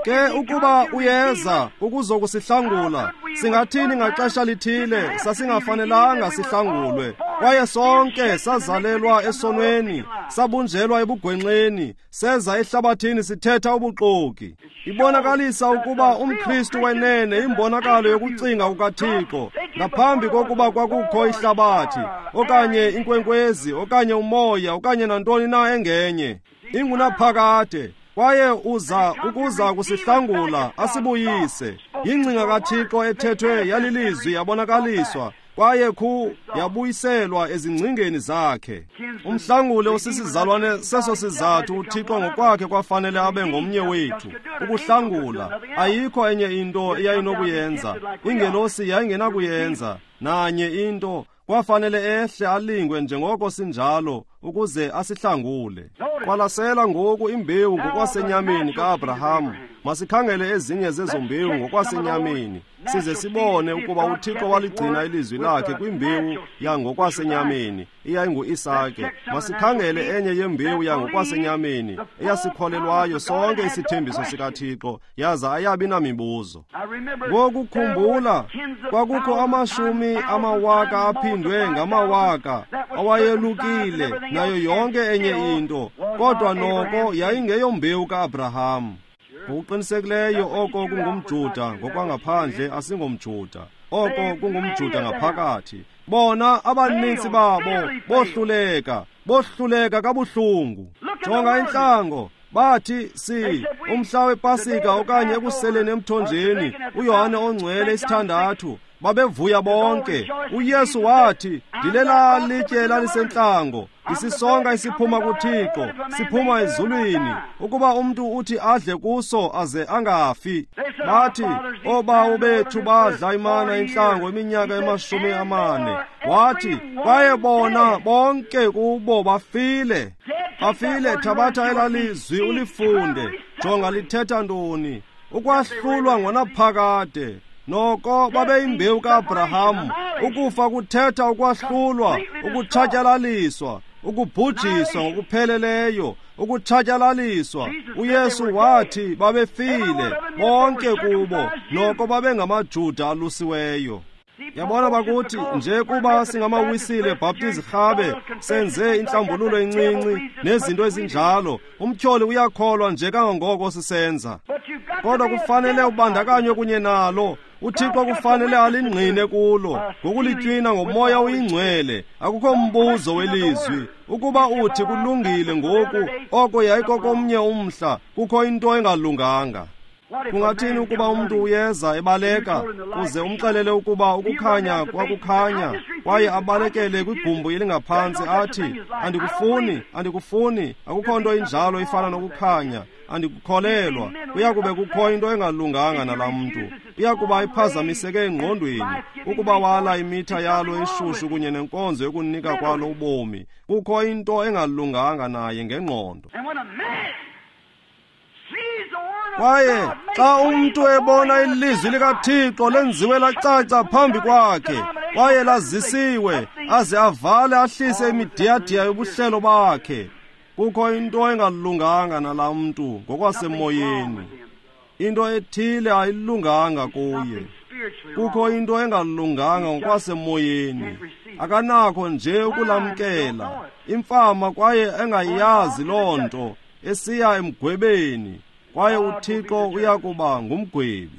Ke ukuba uyeza ukuzokusihlangula, singathini ngaxesha lithile sasingafanelanga sihlangulwe? Kwaye sonke sazalelwa esonweni, sabunjelwa ebugwenxeni, seza ehlabathini sithetha ubuxoki. Ibonakalisa ukuba umKristu wenene imbonakalo yokucinga kukaThixo ngaphambi kokuba kwakukho ihlabathi okanye inkwenkwezi okanye umoya okanye nantoni na engenye. Ingunaphakade, kwaye uza ukuza kusihlangula asibuyise. Yingcinga kaThixo ethethwe yalilizwi yabonakaliswa, kwaye khu yabuyiselwa ezingcingeni zakhe. Umhlangule osisizalwane seso sizathu uThixo ngokwakhe kwafanele abe ngomnye wethu ukuhlangula. Ayikho enye into eyayinokuyenza, ingelosi yayingenakuyenza nanye into. Kwafanele ehle alingwe njengoko sinjalo ukuze asihlangule. Qwalasela ngoku imbewu ngokwasenyameni kaAbraham. Masikhangele ezinye zezo mbewu ngokwasenyameni, size sibone ukuba uThixo waligcina ilizwi lakhe kwimbewu yangokwasenyameni eyayinguIsake. Masikhangele enye yembewu yangokwasenyameni eyasikholelwayo sonke isithembiso sikaThixo, yaza ayabi namibuzo. Ngoku khumbula, kwakukho amashumi amawaka aphindwe ngamawaka awayelukile nayo yonke enye into, kodwa noko yayingeyombewu kaAbraham. Ngokuqinisekileyo oko kungumJuda ngokwangaphandle, asingomJuda. Oko kungumJuda ngaphakathi. Bona abaninzi babo bohluleka, bohluleka kabuhlungu. Jonga intlango, bathi si umhla wePasika okanye ekuseleni emthonjeni, uYohane ongcwele isithandathu, babevuya bonke. uYesu wathi, ndilela litye lalisentlango, isisonka isiphuma kuThixo, siphuma ezulwini, ukuba umntu uthi adle kuso aze angafi. Bathi, oobawo bethu badla imana entlango iminyaka emashumi amane. Wathi, kwaye bona bonke kubo bafile. Bafile. Thabatha elalizwi ulifunde. Jonga lithetha ntoni. Ukwahlulwa ngonaphakade. Noko babeyimbewu kaAbraham. Ukufa kuthetha ukwahlulwa, ukutshatyalaliswa, ukubhujiswa ngokupheleleyo, ukutshatyalaliswa. uYesu wathi babefile bonke kubo, noko babengamaJuda alusiweyo. Yabona bakuthi nje kuba singamawisile Baptist rhabe senze inhlambululo encinci nezinto ezinjalo, umtyholi uyakholwa nje kangangoko sisenza. Kodwa kufanele ubandakanywe kunye nalo. uThixo kufanele alingqine kulo ngokulitywina ngomoya oyingcwele. Akukho mbuzo welizwi. Ukuba uthi kulungile ngoku, oko yayikokomnye umhla, kukho into engalunganga. Kungathini ukuba umntu uyeza ebaleka uze umxelele ukuba ukukhanya kwakukhanya, kwaye abalekele kwigumbi elingaphantsi athi, andikufuni, andikufuni, akukho nto injalo ifana nokukhanya, andikukholelwa. Kuyakube kukho into engalunganga nalaa mntu. Uyakuba iphazamiseke engqondweni ukuba wala imitha yalo eshushu kunye nenkonzo yokunika kwalo ubomi. Kukho into engalunganga naye ngengqondo. Kwaye xa umntu ebona ilizwi likaThixo lenziwe lacaca phambi kwakhe, kwaye lazisiwe, aze avale ahlise imidiyadiya yobuhlelo bakhe, kukho into engalunganga nalaa mntu ngokwasemoyeni. Into ethile ayilunganga kuye. Kukho into engalunganga ngokwasemoyeni. Akanakho nje ukulamkela. Imfama kwaye engayazi loo nto, esiya emgwebeni, kwaye uThixo uyakuba ngumgwebi.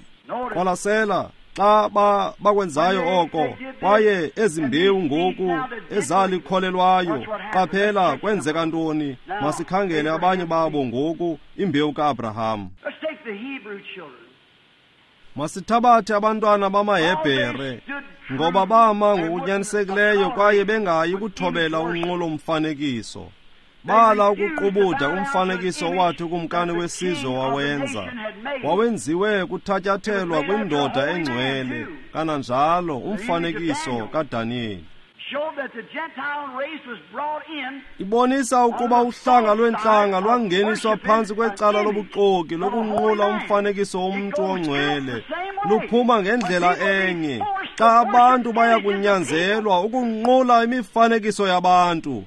Qwalasela xa ba bakwenzayo oko, kwaye ezimbewu ngoku ezalikholelwayo. Qaphela kwenzeka ntoni. Masikhangele abanye babo ngoku, imbewu kaAbraham. Masithabathe abantwana bamaHebhere, ngoba bama ngokunyanisekileyo kwaye bengayi kuthobela unqulo mfanekiso. Bala ukuqubuda umfanekiso owathi ukumkani wesizwe wawenza. Wawenziwe kuthatyathelwa kwindoda engcwele, kananjalo umfanekiso kaDaniyeli. Ibonisa ukuba uhlanga lwentlanga lwangeniswa phantsi kwecala lobuxoki lokunqula umfanekiso womntu ongcwele. Luphuma ngendlela enye xa abantu baya kunyanzelwa ukunqula imifanekiso yabantu.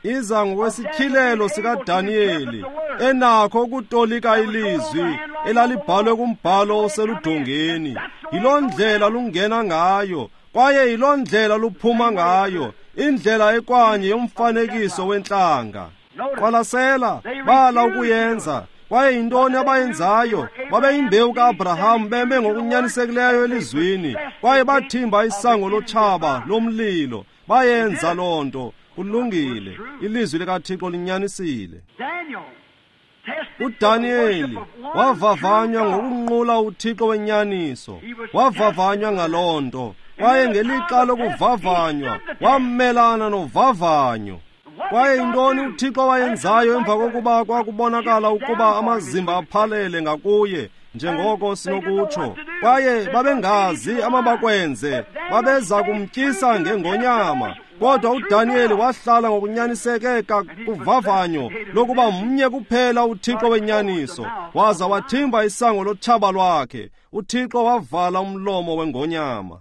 Iza ngokwesityhilelo sikaDaniyeli, enakho ukutolika ilizwi elalibhalwe kumbhalo oseludongeni. Yiloo ndlela lungena ngayo, Kwaye yiloo ndlela luphuma ngayo, indlela ekwanye yomfanekiso wentlanga. Qwalasela, bala ukuyenza. Kwaye yintoni abayenzayo? Babeyimbewu ka-Abraham beme ngokunyanisekileyo elizwini, kwaye bathimba isango lotshaba lomlilo. Bayenza loo nto. Kulungile, ilizwi likaThixo linyanisile. UDaniyeli wavavanywa ngokunqula uThixo wenyaniso, wavavanywa ngaloo nto. Kwaye ngelixa lokuvavanywa wamelana novavanyo. Kwaye yintoni uThixo wayenzayo emva kokuba kwakubonakala ukuba amazimba aphalele ngakuye, njengoko sinokutsho? Kwaye babengazi amabakwenze, babeza kumtyisa ngengonyama. Kodwa uDaniyeli wahlala ngokunyaniseke kuvavanyo lokuba mnye kuphela uThixo wenyaniso, waza wathimba isango lotshaba lwakhe. uThixo wavala umlomo wengonyama.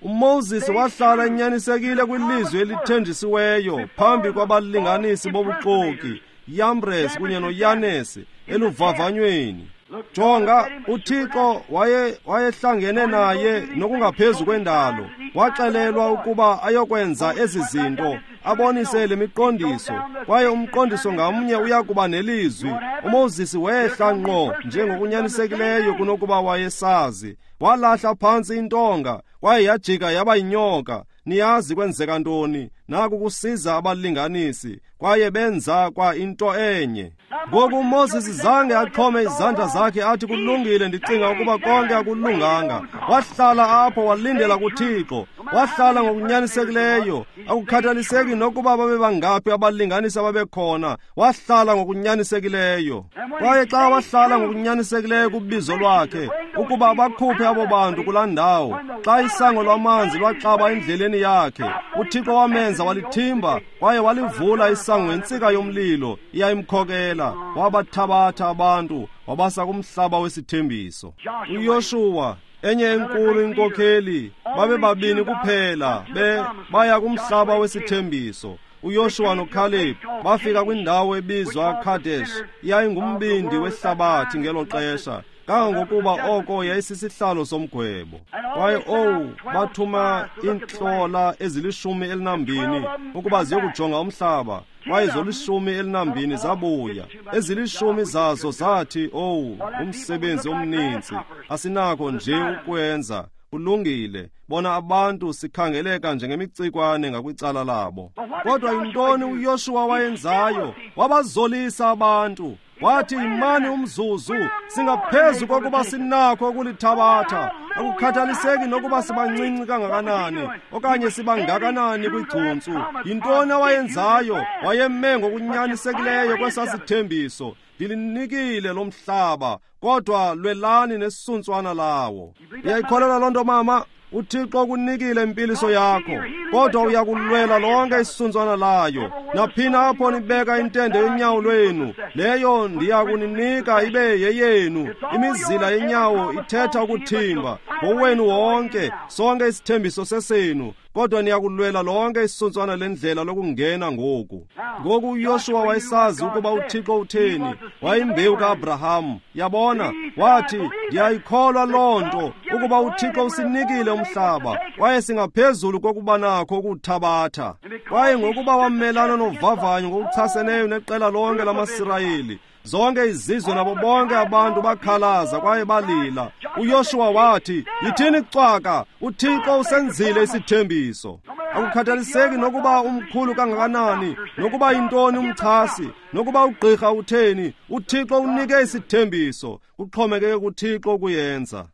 UMoses wahlala enyanisekile kwilizwi elithenjisiweyo phambi kwabalinganisi bobuxoki, Yambres kunye noYanes, eluvavanyweni. Jonga, uThixo waye wayehlangene naye nokungaphezu kwendalo. Waxelelwa ukuba ayokwenza ezi zinto, abonise le miqondiso, kwaye umqondiso ngamnye uya kuba nelizwi. UMoses wehla ngqo njengokunyanisekileyo kunokuba wayesazi. Walahla phantsi intonga, kwaye yajika yaba yinyoka. Niyazi kwenzeka ntoni? Naku kusiza abalinganisi, kwaye benza kwa into enye. Ngoku uMoses zange axhome izandla zakhe athi kulungile, ndicinga ukuba konke akulunganga. Wahlala apho walindela kuThixo, wahlala ngokunyanisekileyo. Akukhathaliseki nokuba babebangaphi abalinganisi ababekhona, wahlala ngokunyanisekileyo. Kwaye xa wahlala ngokunyanisekileyo kubizo lwakhe ukuba bakhuphe abo bantu kulaa ndawo, xa isango lwamanzi lwaxaba endleleni yakhe, uThixo wamenza walithimba kwaye walivula isango ngentsika yomlilo iyayimkhokela. Wabathabatha abantu wabasa kumhlaba wesithembiso. UYoshuwa, enye enkulu inkokheli, babebabini kuphela be baya kumhlaba wesithembiso. uYoshuwa noKhaleb bafika kwindawo ebizwa Kadesh, yayingumbindi wehlabathi ngelo xesha, kangangokuba oko yayisisihlalo somgwebo. Kwaye owu, bathuma iintlola ezilishumi elinambini ukuba ziyokujonga umhlaba, kwaye zolishumi elinambini zabuya. Ezilishumi zazo zathi, owu, umsebenzi omninzi, asinakho nje ukwenza. Kulungile, bona abantu sikhangeleka njengemicikwane ngakwicala labo. Kodwa yintoni uYoshuwa wayenzayo? Wabazolisa abantu. Wathi, imani umzuzu, singaphezu kokuba sinakho ukulithabatha. Akukhathaliseki nokuba sibancinci kangakanani okanye sibangakanani kwigcuntsu. Yintoni awayenzayo? Wayeme ngokunyanisekileyo kwesasithembiso. Ndilinikile lo mhlaba, kodwa lwelani nesuntswana lawo. Uyayikholelwa loo nto, mama? uThixo ukunikile impiliso yakho, kodwa uyakulwela lonke isuntswana layo. Naphina apho nibeka intende yonyawo lwenu, leyo ndiya kuninika ibe yeyenu. Imizila yenyawo ithetha ukuthimba ngowenu wonke, sonke isithembiso sesenu, kodwa niyakulwela lonke isuntswana lendlela lokungena ngoku. Ngoku uYoshuwa wayesazi ukuba uThixo utheni. Wayimbewu ka-Abraham. Yabona, wathi, ndiyayikholwa loo nto, ukuba uThixo usinikile umhlaba, kwaye singaphezulu kokuba nakho ukuthabatha. Kwaye ngokuba wamelana novavanyo ngokuchaseneyo neqela lonke lamaSirayeli, zonke izizwe nabo bonke abantu bakhalaza kwaye balila. uYoshuwa wathi, yithini cwaka, uThixo usenzile isithembiso. Akukhathaliseki nokuba umkhulu kangakanani, nokuba yintoni umchasi, nokuba ugqirha utheni, uThixo unike isithembiso. Kuxhomekeke kuThixo ukuyenza.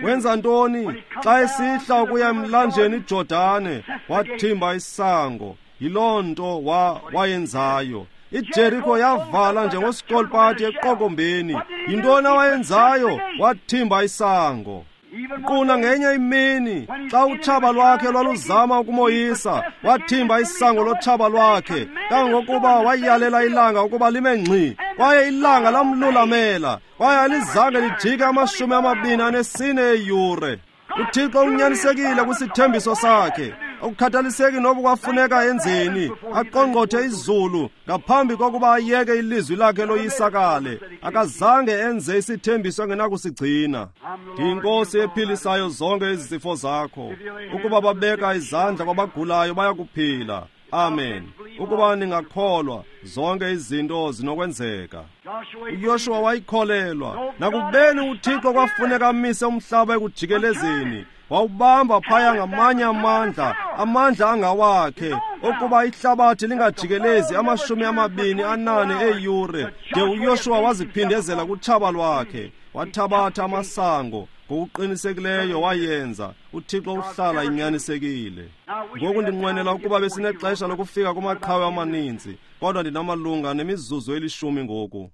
Wenza ntoni? Xa esihla ukuya emlanjeni iJordane, wathimba isango. Yiloo nto wa wayenzayo. iJeriko yavala njengosikolpati eqokombeni. Yintoni awayenzayo? Wathimba isango. Kuna ngenye imini xa utshaba lwakhe lwaluzama ukumoyisa, wathimba isango lotshaba lwakhe, kangangokuba wayalela ilanga ukuba lime ngxi, kwaye ilanga lamlulamela, kwaye alizange lijike amashumi amabini anesine eeyure. uThixo unyanisekile kwisithembiso sakhe. Akukhathaliseki noba kwafuneka enzeni, aqongqothe izulu ngaphambi kokuba ayeke ilizwi lakhe loyisakale. Akazange enze isithembiso angenakusigcina. NdiyiNkosi ephilisayo zonke izifo zakho. Ukuba babeka izandla kwabagulayo bayakuphila. Amen. Ukuba ningakholwa, zonke izinto zinokwenzeka. uYoshuwa wayikholelwa. Nakubeni uThixo kwafuneka amise umhlaba ekujikelezeni, wawubamba phaya ngamanye amandla, amandla angawakhe, ukuba ihlabathi lingajikelezi amashumi amabini anane eeyure, de uYoshuwa waziphindezela kutshaba lwakhe. Wathabatha amasango ngokuqinisekileyo wayenza. uThixo uhlala inyanisekile. Ngoku ndinqwenela ukuba besinexesha lokufika kumaqhawe amaninzi, kodwa ndinamalunga nemizuzu elishumi ngoku.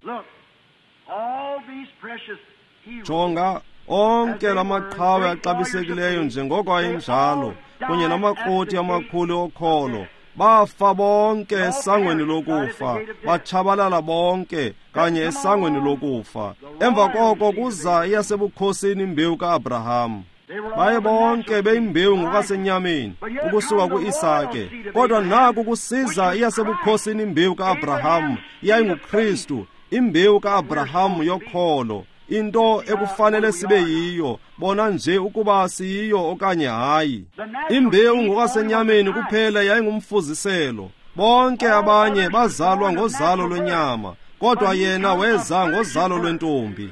Jonga, onke lamaqhawe axabisekileyo njengoko ayenjalo, kunye namakroti amakhulu okholo, bafa bonke esangweni lokufa, batshabalala bonke kanye esangweni lokufa. Emva koko kuza iyasebukhosini imbewu ka-Abraham. Baye bonke beyimbewu ngokwasenyameni ukusuka ku-Isake, kodwa naku kusiza iyasebukhosini imbewu ka-Abraham, yayinguKristu, imbewu ka-Abraham yokholo, into ekufanele sibe yiyo, bona nje ukuba siyiyo okanye hayi. Imbewu ngokwasenyameni kuphela yayingumfuziselo. Bonke abanye bazalwa ngozalo lwenyama, kodwa yena weza ngozalo lwentombi.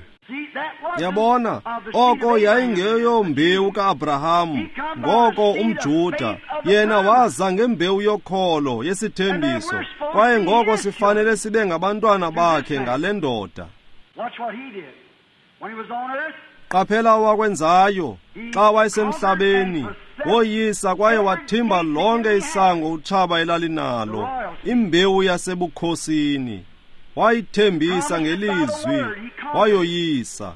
Yabona, oko yayingeyombewu ka-Abraham, ngoko umJuda, yena waza ngembewu yokholo yesithembiso, kwaye ngoko sifanele sibe ngabantwana bakhe ngale ndoda. Qaphela wakwenzayo xa wayesemhlabeni, woyisa kwaye wathimba lonke isango utshaba elalinalo, imbewu yasebukhosini. Wayithembisa ngelizwi, wayoyisa.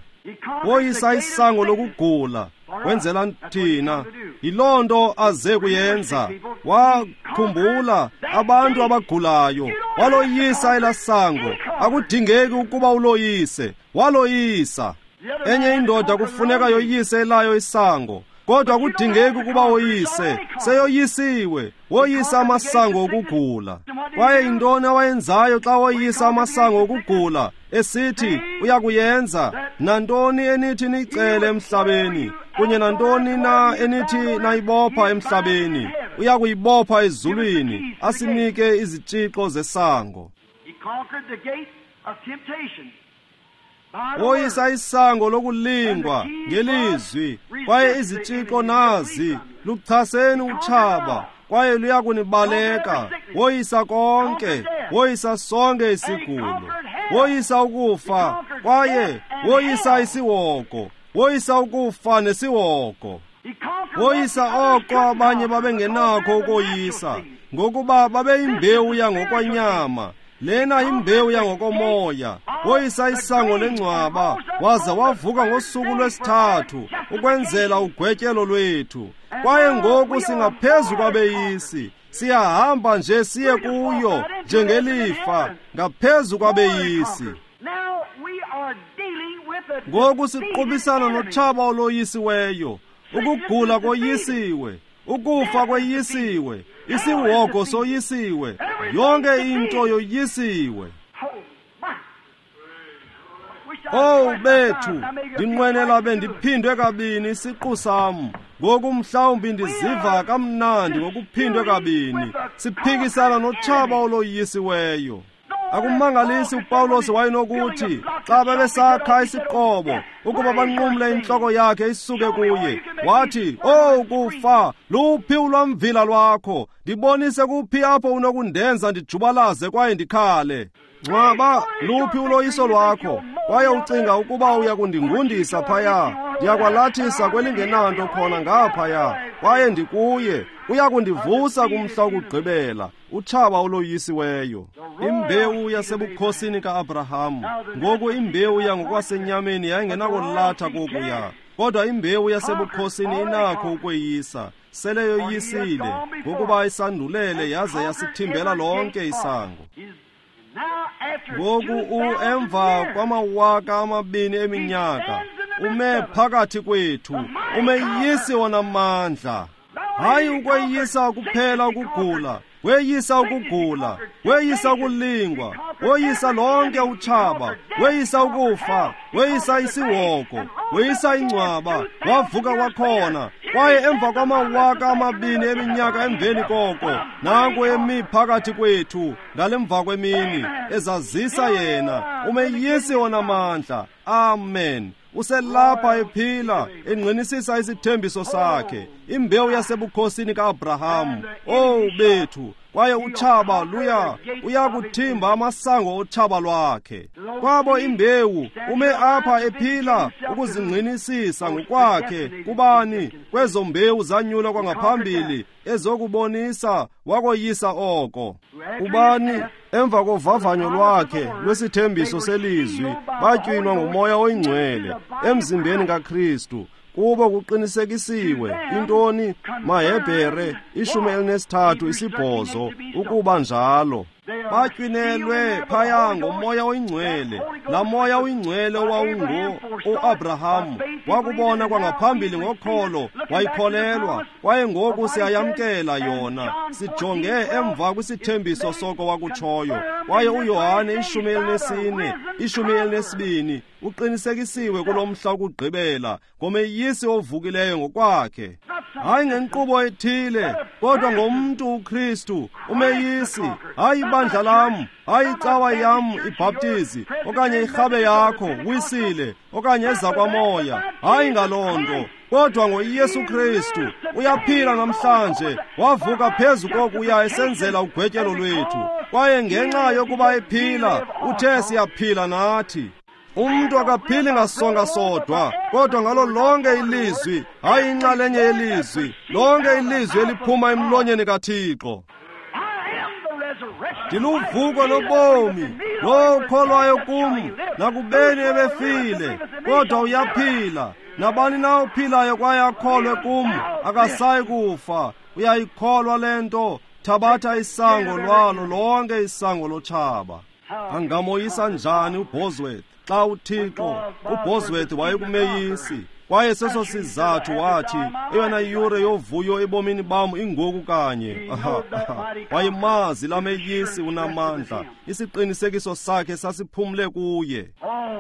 Woyisa isango lokugula, wenzela thina. Yiloo nto aze kuyenza. Wakhumbula abantu abagulayo, waloyisa elasango. Akudingeki ukuba uloyise, waloyisa. Enye indoda kufuneka yoyise elayo isango, kodwa akudingeki ukuba woyise, seyoyisiwe. Woyisa amasango okugula. Kwaye yintoni awayenzayo xa woyisa amasango okugula? Esithi uyakuyenza nantoni enithi niyicele emhlabeni, kunye nantoni na enithi nayibopha emhlabeni, uyakuyibopha ezulwini, asinike izitshixo zesango. Woyisa isango lokulingwa ngelizwi, kwaye izitshixo nazi, luchaseni utshaba, kwaye luyakunibaleka. Woyisa konke, woyisa sonke isigulo, woyisa ukufa, kwaye woyisa isihogo, woyisa ukufa nesihogo. Woyisa oko abanye babengenakho ukoyisa, ngokuba babeyimbewu yangokwanyama. Lena imbewu yangokomoya. Woyisa isango lengcwaba, waza wavuka ngosuku lwesithathu ukwenzela ugwetyelo lwethu. Kwaye ngoku singaphezu kwabeyisi, siyahamba nje siye kuyo njengelifa, ngaphezu kwabeyisi. Ngoku siqubisana notshaba oloyisiweyo. Ukugula koyisiwe, ukufa kweyisiwe, isihogo soyisiwe, yonke into yoyisiwe. Oh bethu, ndinqwenela bendiphindwe kabini isiqu sam. Ngoku mhlawumbi ndiziva kamnandi ngokuphindwe kabini. Siphikisana notshaba oloyisiweyo. Akumangalisi uPawulos wayenokuthi xa babesakha isiqobo ukuba banqumle intloko yakhe isuke kuye, wathi, "Oh kufa, luphi ulwamvila lwakho? Ndibonise kuphi apho unokundenza ndijubalaze kwaye ndikhale. Ngcwaba, luphi uloyiso lwakho? Kwaye ucinga ukuba uya kundingundisa phaya? Ndiyakwalathisa kwelingenanto khona ngaphaya, kwaye ndikuye. Uya kundivusa kumhla wokugqibela." Utshaba oloyisiweyo. Imbewu yasebukhosini ka-Abraham. Ngoku imbewu yangokwasenyameni yayingenakulatha kokuya, kodwa imbewu yasebukhosini inakho ukweyisa. Sele yoyisile, ngokuba isandulele yaze yasithimbela lonke isango. Ngoku emva kwamawaka amabini eminyaka, ume phakathi kwethu, umeyisi onamandla. Hayi ukweyisa kuphela ukugula, weyisa ukugula, weyisa ukulingwa, woyisa lonke utshaba, weyisa ukufa, weyisa isihogo, weyisa ingcwaba, wavuka kwakhona. Kwaye emva kwamawaka amabini eminyaka emveni koko, nanku emi phakathi kwethu ngalemva kwemini, ezazisa yena umeyisi onamandla. Amen. Uselapha ephila, engqinisisa isithembiso sakhe, imbewu yasebukhosini kaAbraham. Oh bethu, kwaye utshaba luya uyakuthimba amasango otshaba lwakhe. Kwabo imbewu ume apha ephila ukuzingqinisisa ngokwakhe kubani kwezo mbewu zanyulwa kwangaphambili ezokubonisa wakoyisa oko. Ubani emva kovavanyo lwakhe lwesithembiso selizwi batywinwa nguMoya oyiNgcwele emzimbeni kaKristu. Kubo kuqinisekisiwe intoni? MaHebhere ishumi elinesithathu isibhozo ukuba njalo. Batywinelwe phaya ngoMoya oyiNgcwele. Laa Moya oyiNgcwele owawungu uAbraham wakubona kwangaphambili ngokholo, wayikholelwa, kwaye ngoku siyayamkela yona. Sijonge emva kwisithembiso soko wakutshoyo. Kwaye uYohane ishumi elinesine, ishumi elinesibini uqinisekisiwe kulo mhla wokugqibela ngomeyisi ovukileyo ngokwakhe. Hayi ngenkqubo ethile, kodwa ngomntu uKristu, umeyisi. Hayi ibandla lam, hayi icawa yam ibhaptizi, okanye irhabe yakho wisile, okanye ezakwamoya. Hayi ngaloo nto, kodwa ngoYesu Kristu uyaphila namhlanje, wavuka phezu kokuya esenzela ugwetyelo lwethu. Kwaye ngenxa yokuba ephila, uthe siyaphila nathi. Umntu akaphili ngasonga sodwa, kodwa ngalo lonke ilizwi, hayi inxalenye yelizwi, lonke ilizwi eliphuma emlonyeni kaThixo. Ndiluvuko lobomi, lowo ukholwayo kum, nakubeni ebefile, kodwa uyaphila. Nabani na ophilayo kwaye akholwe kum, akasayi kufa. Uyayikholwa le nto? Thabatha isango lwalo lonke isango lotshaba. Angamoyisa njani uBosworth xa uThixo? uBosworth wayekumeyisi, kwaye seso sizathu wathi eyona yure yovuyo ebomini bam ingoku kanye. Wayemazi lameyisi unamandla, isiqinisekiso sakhe sasiphumle kuye.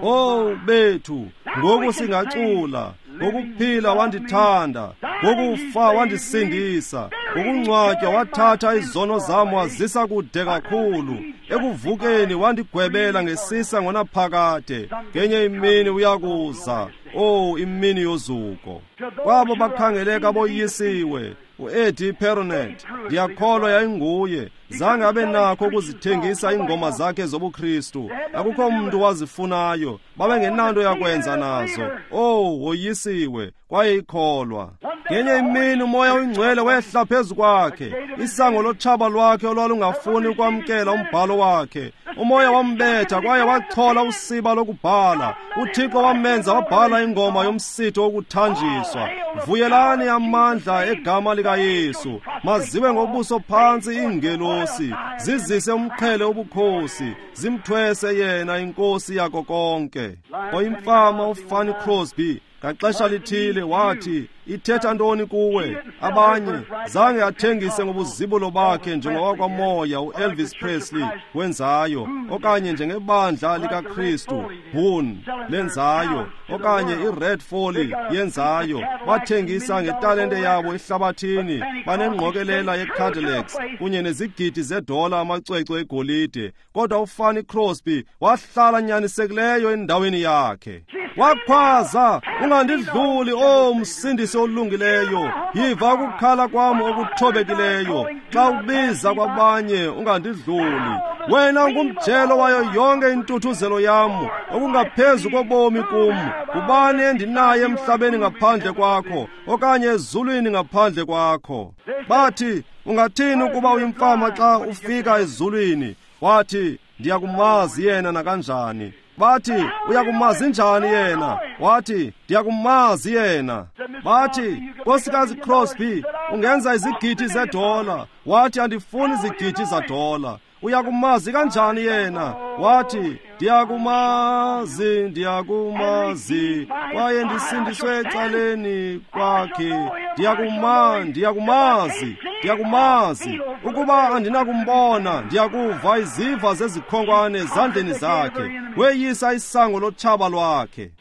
Oh bethu, ngoku singacula. Ngokuphila wandithanda, ngokufa wandisindisa, ngokungcwatywa wathatha izono zam wazisa kude kakhulu, ekuvukeni wandigwebela ngesisa ngonaphakade. Ngenye imini uyakuza, oh imini yozuko. Kwabo bakhangeleka boyisiwe, uEddie Perronet, ndiyakholwa yayinguye, zange abe nakho ukuzithengisa iingoma zakhe zobuKristu. Akukho mntu wazifunayo, babengenanto yakwenza nazo. Oh, woyisiwe, kwaye ikholwa. Ngenye imini uMoya oyiNgcwele wehla phezu kwakhe, isango lotshaba lwakhe olwalungafuni ukwamkela umbhalo wakhe. Umoya wambetha kwaye wachola usiba lokubhala. UThixo wamenza wabhala ingoma yomsitho wokuthanjiswa. Vuyelani amandla egama likaYesu, maziwe ngobuso phantsi iingelosi, zizise umqhele wobukhosi, zimthwese yena inkosi yako konke. Oyimfama uFanny Crosby ngaxesha lithile wathi, ithetha ntoni kuwe? Abanye zange athengise ngobuzibulo bakhe njengowakwamoya uElvis Presley wenzayo, okanye njengebandla likaKristu Boone lenzayo, okanye iRed Foley yenzayo. Bathengisa ngetalente yabo ehlabathini, banengqokelela yeCadillacs kunye nezigidi zedola amacwecwe egolide. Kodwa uFanny Crosby wahlala nyanisekileyo endaweni yakhe. Wakhwaza, ungandidluli, o msindisi olungileyo, yiva ukukhala kwam okuthobekileyo. Xa ubiza kwabanye, ungandidluli. Wena ungumjelo wayo yonke intuthuzelo yam, okungaphezu kobomi kum. Ngubani endinaye emhlabeni ngaphandle kwakho, okanye ezulwini ngaphandle kwakho? Bathi, ungathini ukuba uyimfama xa ufika ezulwini? Wathi, ndiyakumazi yena nakanjani. Bathi, uyakumazi njani yena? Wathi, ndiyakumazi yena. Bathi, Nkosikazi Crosby, ungenza izigidi zedola. Wathi, andifuni izigidi zedola. Uyakumazi kanjani yena? Wathi, ndiyakumazi, ndiyakumazi, kwaye ndisindiswe ecaleni kwakhe. Ndiyakuma, ndiyakumazi, ndiyakumazi. Ukuba andinakumbona, ndiyakuva iziva zezikhonkwane ezandleni zakhe. Weyisa isango lotshaba lwakhe.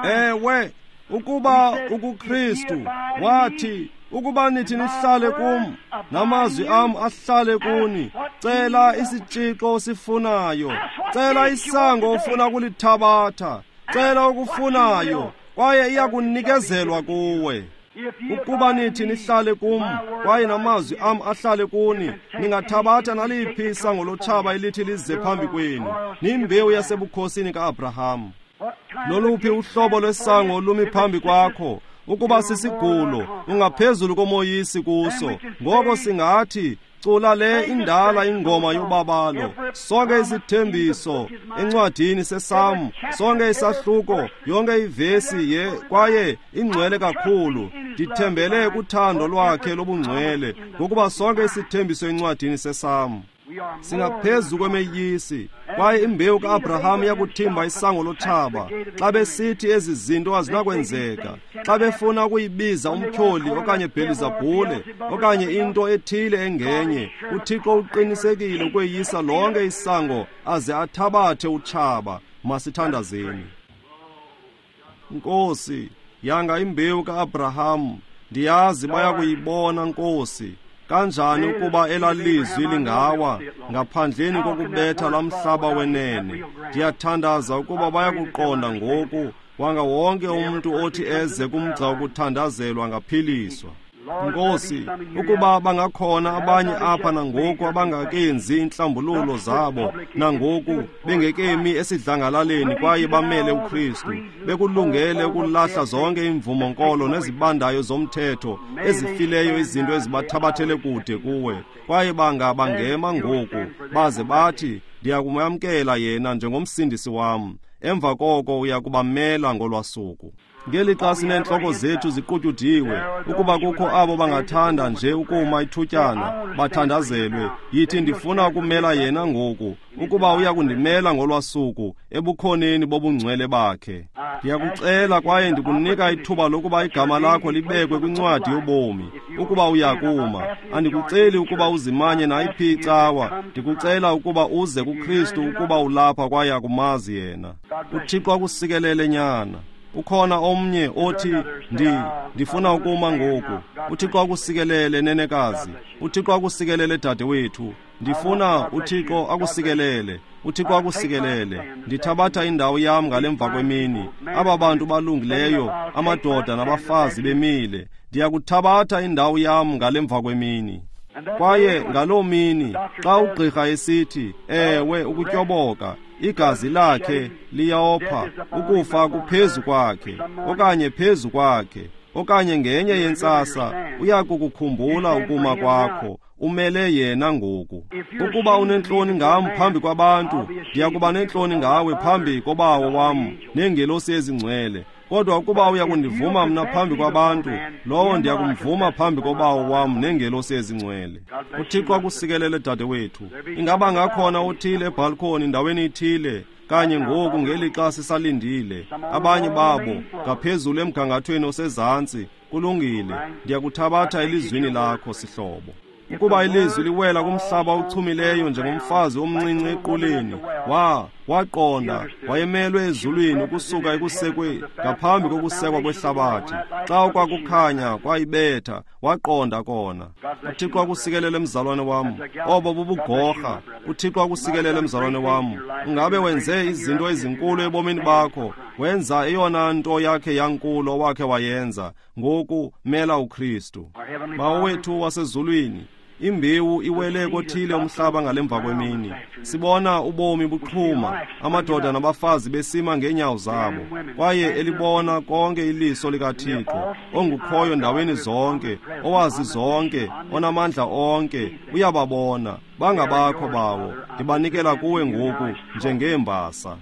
Ewe, ukuba ukuKristu, wathi, ukuba nithi nihlale kum, namazwi am ahlale kuni, cela isitshixo osifunayo, cela isango ofuna kulithabatha, cela okufunayo, kwaye iyakunikezelwa kuwe. Ukuba nithi nihlale kum, kwaye namazwi am ahlale kuni, ningathabatha naliphi isango lotshaba elithi lize phambi kwenu. Nimbewu yasebukhosini ka-Abraham. Loluphi uhlobo lwesango olumi phambi kwakho? Ukuba sisigulo, ungaphezulu komoyisi kuso. Ngoko singathi, cula le indala ingoma yobabalo. Sonke isithembiso encwadini seSamu, sonke isahluko, yonke ivesi ye kwaye ingcwele kakhulu. Ndithembele kuthando lwakhe lobungcwele, ngokuba sonke isithembiso encwadini seSamu. Singaphezu kwemeyisi, kwaye imbewu ka-Abraham iyakuthimba isango lotshaba. Xa besithi ezi zinto azinakwenzeka, xa befuna ukuyibiza umtyholi okanye Bhelizabhule okanye into ethile engenye, uThixo uqinisekile ukweyisa lonke isango aze athabathe utshaba. Masithandazeni. Nkosi, yanga imbewu ka-Abraham, ndiyazi bayakuyibona, Nkosi. Kanjani ukuba elalizwi lingawa ngaphandleni kokubetha lamhlaba wenene? Ndiyathandaza ukuba bayakuqonda ngoku, wanga wonke umuntu othi eze kumgca wokuthandazelwa angaphiliswa. Nkosi, ukuba bangakhona abanye apha nangoku abangakenzi inhlambululo zabo, nangoku bengekemi esidlangalaleni kwaye bamele uKristu, bekulungele ukulahla zonke imvumonkolo nezibandayo zomthetho ezifileyo, izinto ezibathabathele kude kuwe, kwaye banga bangema ngoku baze bathi, ndiyakumamkela yena njengomsindisi wam. Emva koko uyakubamela ngolwasuku. Ngelixa sineentloko zethu ziqutyudiwe, ukuba kukho abo bangathanda nje ukuma ithutyana bathandazelwe, yithi, ndifuna ukumela yena ngoku, ukuba uyakundimela ngolwasuku ebukhoneni bobungcwele bakhe. Ndiyakucela kwaye ndikunika ithuba lokuba igama lakho libekwe kwincwadi yobomi, ukuba uyakuma. Andikuceli ukuba uzimanye nayiphi icawa, ndikucela ukuba uze kuKristu ukuba ulapha kwaye akumazi yena. uThixo akusikelele nyana. Ukhona omnye othi, ndi ndifuna ukuma ngoku. uThixo akusikelele nenekazi. uThixo akusikelele dadewethu. Ndifuna uThixo akusikelele. uThixo akusikelele. Ndithabatha indawo yam ngalemva kwemini. Aba bantu balungileyo, amadoda nabafazi bemile. Ndiyakuthabatha indawo yam ngalemva kwemini. Kwaye ngaloo mini, xa ugqirha esithi, ewe, ukutyoboka, igazi lakhe liyopha, ukufa kuphezu kwakhe, okanye phezu kwakhe, okanye ngenye yentsasa, uyakukukhumbula ukuma kwakho, umele yena ngoku. Ukuba unentloni ngam phambi kwabantu, ndiyakuba nentloni ngawe phambi kobawo wam neengelosi ezingcwele. Kodwa ukuba uyakundivuma mna phambi kwabantu, lowo ndiyakumvuma phambi kobawo wam neengelosi ezingcwele. uThixo akusikelele dadewethu. Ingaba ngakhona othile ebhalkhoni ndaweni ithile kanye ngoku ngelixa sisalindile? Abanye babo ngaphezulu emgangathweni osezantsi. Kulungile, ndiyakuthabatha elizwini lakho, sihlobo. Ukuba ilizwi liwela kumhlaba ochumileyo njengomfazi omncinci equleni, wa waqonda wayemelwe ezulwini ukusuka ekusekwe ngaphambi kokusekwa kwehlabathi. Xa kwakukhanya kwayibetha, waqonda kona. uThixo akusikelele mzalwane wam. Obo bubugorha. uThixo akusikelele mzalwane wam. Ungabe wenze izinto ezinkulu ebomini bakho, wenza eyona nto yakhe yankulu owakhe wayenza. Ngoku mela uKristu. Bawo wethu wasezulwini, Imbewu iwele kothile umhlaba ngalemva kwemini. Sibona ubomi buqhuma, amadoda nabafazi besima ngeenyawo zabo, kwaye elibona konke iliso likaThixo, ongukhoyo ndaweni zonke, owazi zonke, onamandla onke, uyababona. Bangabakho bawo, ndibanikela kuwe ngoku njengeembasa.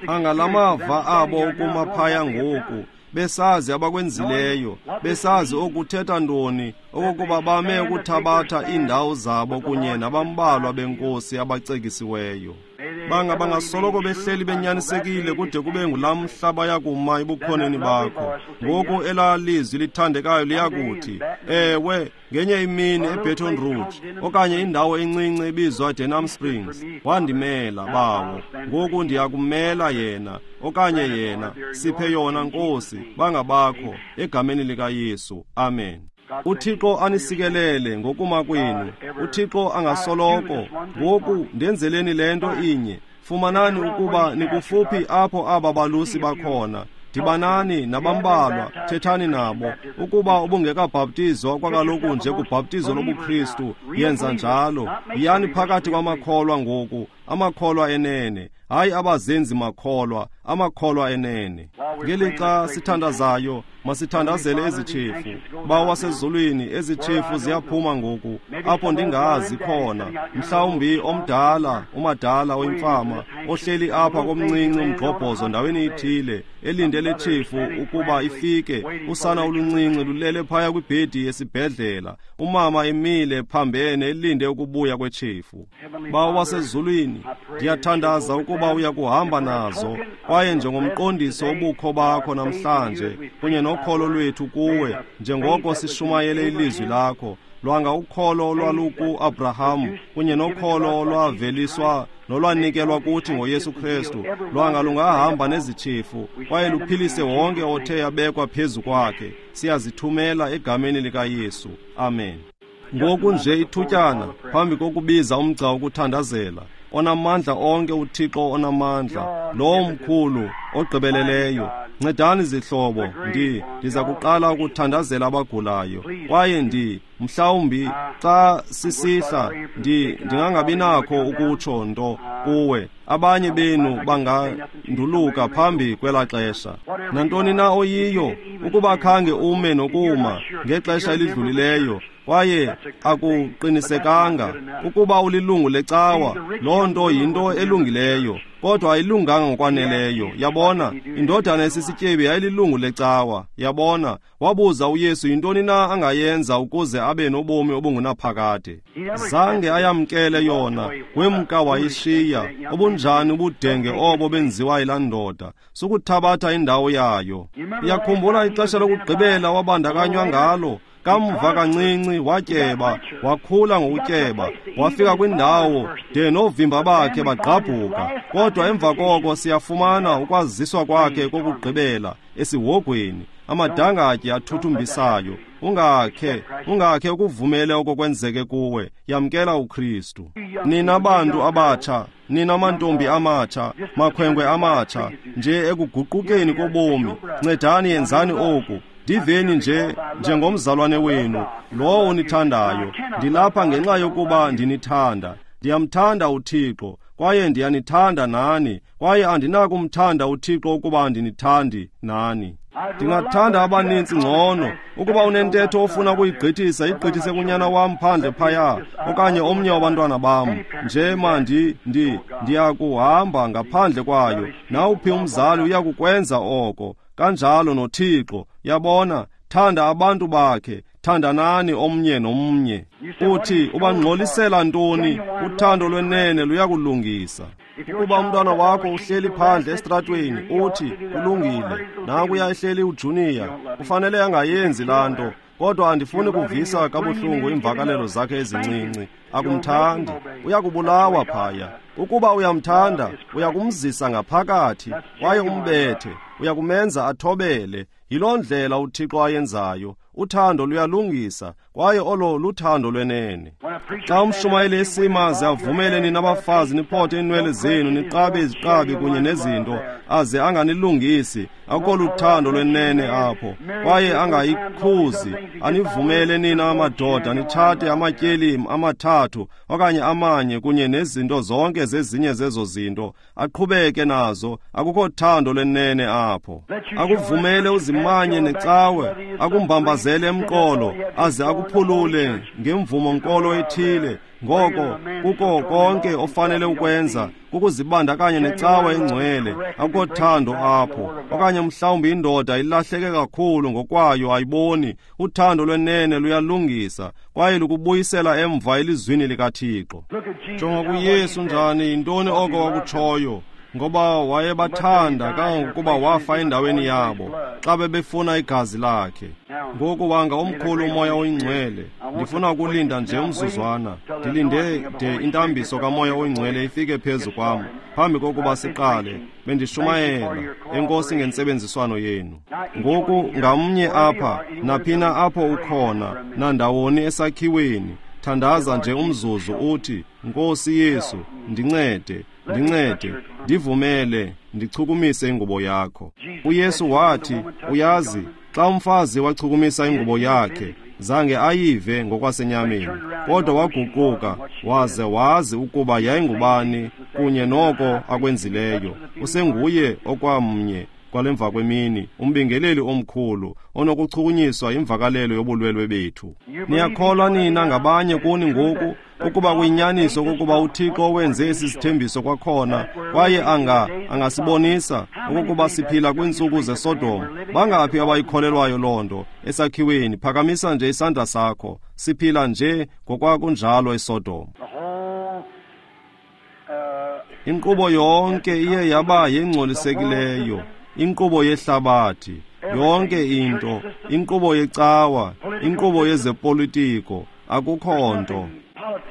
Angalamava abo ukuma phaya ngoku, besazi abakwenzileyo, besazi okuthetha ntoni, okokuba bame ukuthabatha iindawo zabo kunye nabambalwa benkosi abacekisiweyo. Banga bangasoloko behleli benyanisekile kude kube ngulaa mhla bayakuma ebukhoneni bakho. Ngoku elaa lizwi lithandekayo liyakuthi, ewe, ngenye imini eBaton Rouge, okanye indawo encinci ebizwa Denham Springs, wandimela bawo. Ngoku ndiyakumela yena, okanye yena, siphe yona Nkosi, bangabakho, egameni likaYesu. Amen. UThixo anisikelele ngokuma kwenu. UThixo angasoloko. Ngoku ndenzeleni le nto inye. Fumanani ukuba nikufuphi apho aba balusi bakhona. Dibanani nabambalwa, thethani nabo. Ukuba ubungekabhaptizwa kwakaloku nje kubhaptizo lobuKristu, yenza njalo. Yiyani phakathi kwamakholwa ngoku, amakholwa enene, hayi abazenzi makholwa, amakholwa enene. Ngelixa sithandazayo, masithandazele ezitshefu. Bawo wasezulwini, ezitshefu ziyaphuma ngoku, apho ndingazi khona. Mhlawumbi omdala, umadala oyimfama, ohleli apha komncinci umgxobhozo ndaweni ithile, elindele tshefu ukuba ifike. Usana oluncinci lulele phaya kwibhedi yesibhedlela, umama emile phambene elinde ukubuya kwetshefu. Bawo wasezulwini, ndiyathandaza ukuba uyakuhamba nazo, kwaye njengomqondiso obukho bakho namhlanje kunye nokholo lwethu kuwe, njengoko sishumayele ilizwi lakho, lwanga ukholo olwaluku-Abraham kunye nokholo olwaveliswa nolwanikelwa kuthi ngoYesu Kristu, lwanga lungahamba nezitshefu kwaye luphilise wonke othe yabekwa phezu kwakhe. Siyazithumela egameni likaYesu. Amen. Ngoku nje ithutyana phambi kokubiza umgca wokuthandazela, onamandla onke uThixo onamandla, lowo mkhulu ogqibeleleyo, ncedani zihlobo, ndi ndiza kuqala ukuthandazela abagulayo, kwaye ndi mhlawumbi xa sisihla ndi ndingangabi nakho ukutsho nto kuwe. Abanye benu banganduluka phambi kwelaa xesha. Nantoni na oyiyo, ukuba khange ume nokuma ngexesha elidlulileyo, kwaye akuqinisekanga ukuba ulilungu lecawa, loo nto yinto elungileyo, kodwa ayilunganga ngokwaneleyo. Yabona, indodana esisityebi yayililungu lecawa. Yabona, wabuza uYesu yintoni na angayenza ukuze abe nobomi obungunaphakade. Zange ayamkele yona, wemka wayishiya. Obunjani ubudenge obo benziwa yilaa ndoda, sukuthabatha indawo yayo. Uyakhumbula ixesha lokugqibela wabandakanywa ngalo? Kamva kancinci watyeba, wakhula ngokutyeba, wafika kwindawo de novimba bakhe bagqabhuka. Kodwa emva koko siyafumana ukwaziswa kwakhe kokugqibela esihogweni, amadangatye athuthumbisayo. Ungakhe, ungakhe ukuvumele oko kwenzeke kuwe. Yamkela uKristu. Nina bantu abatsha, nina mantombi amatsha, makhwenkwe amatsha, nje ekuguqukeni kobomi, ncedani yenzani oku. Ndiveni nje njengomzalwane wenu, lowo unithandayo. Ndilapha ngenxa yokuba ndinithanda. Ndiyamthanda uThixo, kwaye ndiyanithanda nani, kwaye andinakumthanda uThixo ukuba andinithandi nani. Ndingathanda abanintsi ngcono. Ukuba unentetho ofuna ukuyigqithisa, igqithise kunyana wam phandle phaya, okanye omnye wabantwana bam. Nje mandi ndi ndiyakuhamba ngaphandle kwayo. Nawuphi umzali uyakukwenza oko. Kanjalo noThixo. Yabona, thanda abantu bakhe, thandanani omnye nomnye. Uthi ubangxolisela ntoni? Uthando lwenene luyakulungisa. Ukuba umntwana wakho uhleli phandle esitratweni, uthi kulungile, nankuya ehleli uJunior, kufanele angayenzi laa nto, kodwa andifuni kuvisa kabuhlungu iimvakalelo zakhe ezincinci. Akumthandi, uyakubulawa phaya. Ukuba uyamthanda, uyakumzisa ngaphakathi kwaye umbethe, uyakumenza athobele. Yiloo ndlela uThixo ayenzayo. Uthando luyalungisa, kwaye olo luthando lwenene. Xa umshumayeli esima aze avumele nina abafazi niphothe iinwele zenu, niqabe iziqabi kunye nezinto, aze anganilungisi, akukho luthando lwenene apho. Kwaye angayikhuzi, anivumele nina amadoda nitshate amatyeli amathathu okanye amanye kunye nezinto zonke zezinye zezo zinto, aqhubeke nazo, akukho thando lwenene apho. Akuvumele uzimanye necawe, akumbambazele emqolo, aze akuphulule ngemvumo nkolo ethile. Ngoko kuko konke ofanele ukwenza kukuzibandakanya necawa engcwele, akukho thando apho. Okanye mhlawumbi indoda ilahleke kakhulu ngokwayo, ayiboni. Uthando lwenene luyalungisa kwaye lukubuyisela emva elizwini likaThixo. Jonga kuYesu njani, yintoni oko wakutshoyo? Ngoba wayebathanda kangangokuba wafa endaweni yabo xa bebefuna igazi lakhe. Ngoku wanga omkhulu uMoya oyiNgcwele. Ndifuna ukulinda nje umzuzwana, ndilinde de intambiso kaMoya oyiNgcwele ifike phezu kwam phambi kokuba siqale. Bendishumayela. Enkosi ngentsebenziswano yenu. Ngoku ngamnye apha, naphina apho ukhona, nandawoni esakhiweni, thandaza nje umzuzu uthi, Nkosi Yesu, ndincede, ndincede, ndivumele ndichukumise ingubo yakho. UYesu wathi, uyazi, xa umfazi wachukumisa ingubo yakhe, zange ayive ngokwasenyameni, kodwa waguquka waze wazi ukuba yayingubani kunye noko akwenzileyo. Usenguye okwamnye kwalemva kwemini, umbingeleli omkhulu onokuchukunyiswa imvakalelo yobulwelwe bethu. Niyakholwa nina ngabanye kuni ngoku ukuba kuyinyaniso okokuba uThixo wenze esi sithembiso kwakhona, kwaye anga angasibonisa okokuba siphila kwiintsuku zeSodom? Bangaphi abayikholelwayo loo nto esakhiweni? Phakamisa nje isandla sakho. Siphila nje ngokwakunjalo eSodom. Inkqubo yonke iye yaba yengcolisekileyo, inkqubo yehlabathi yonke into, inkqubo yecawa, inkqubo yezepolitiko, akukho nto.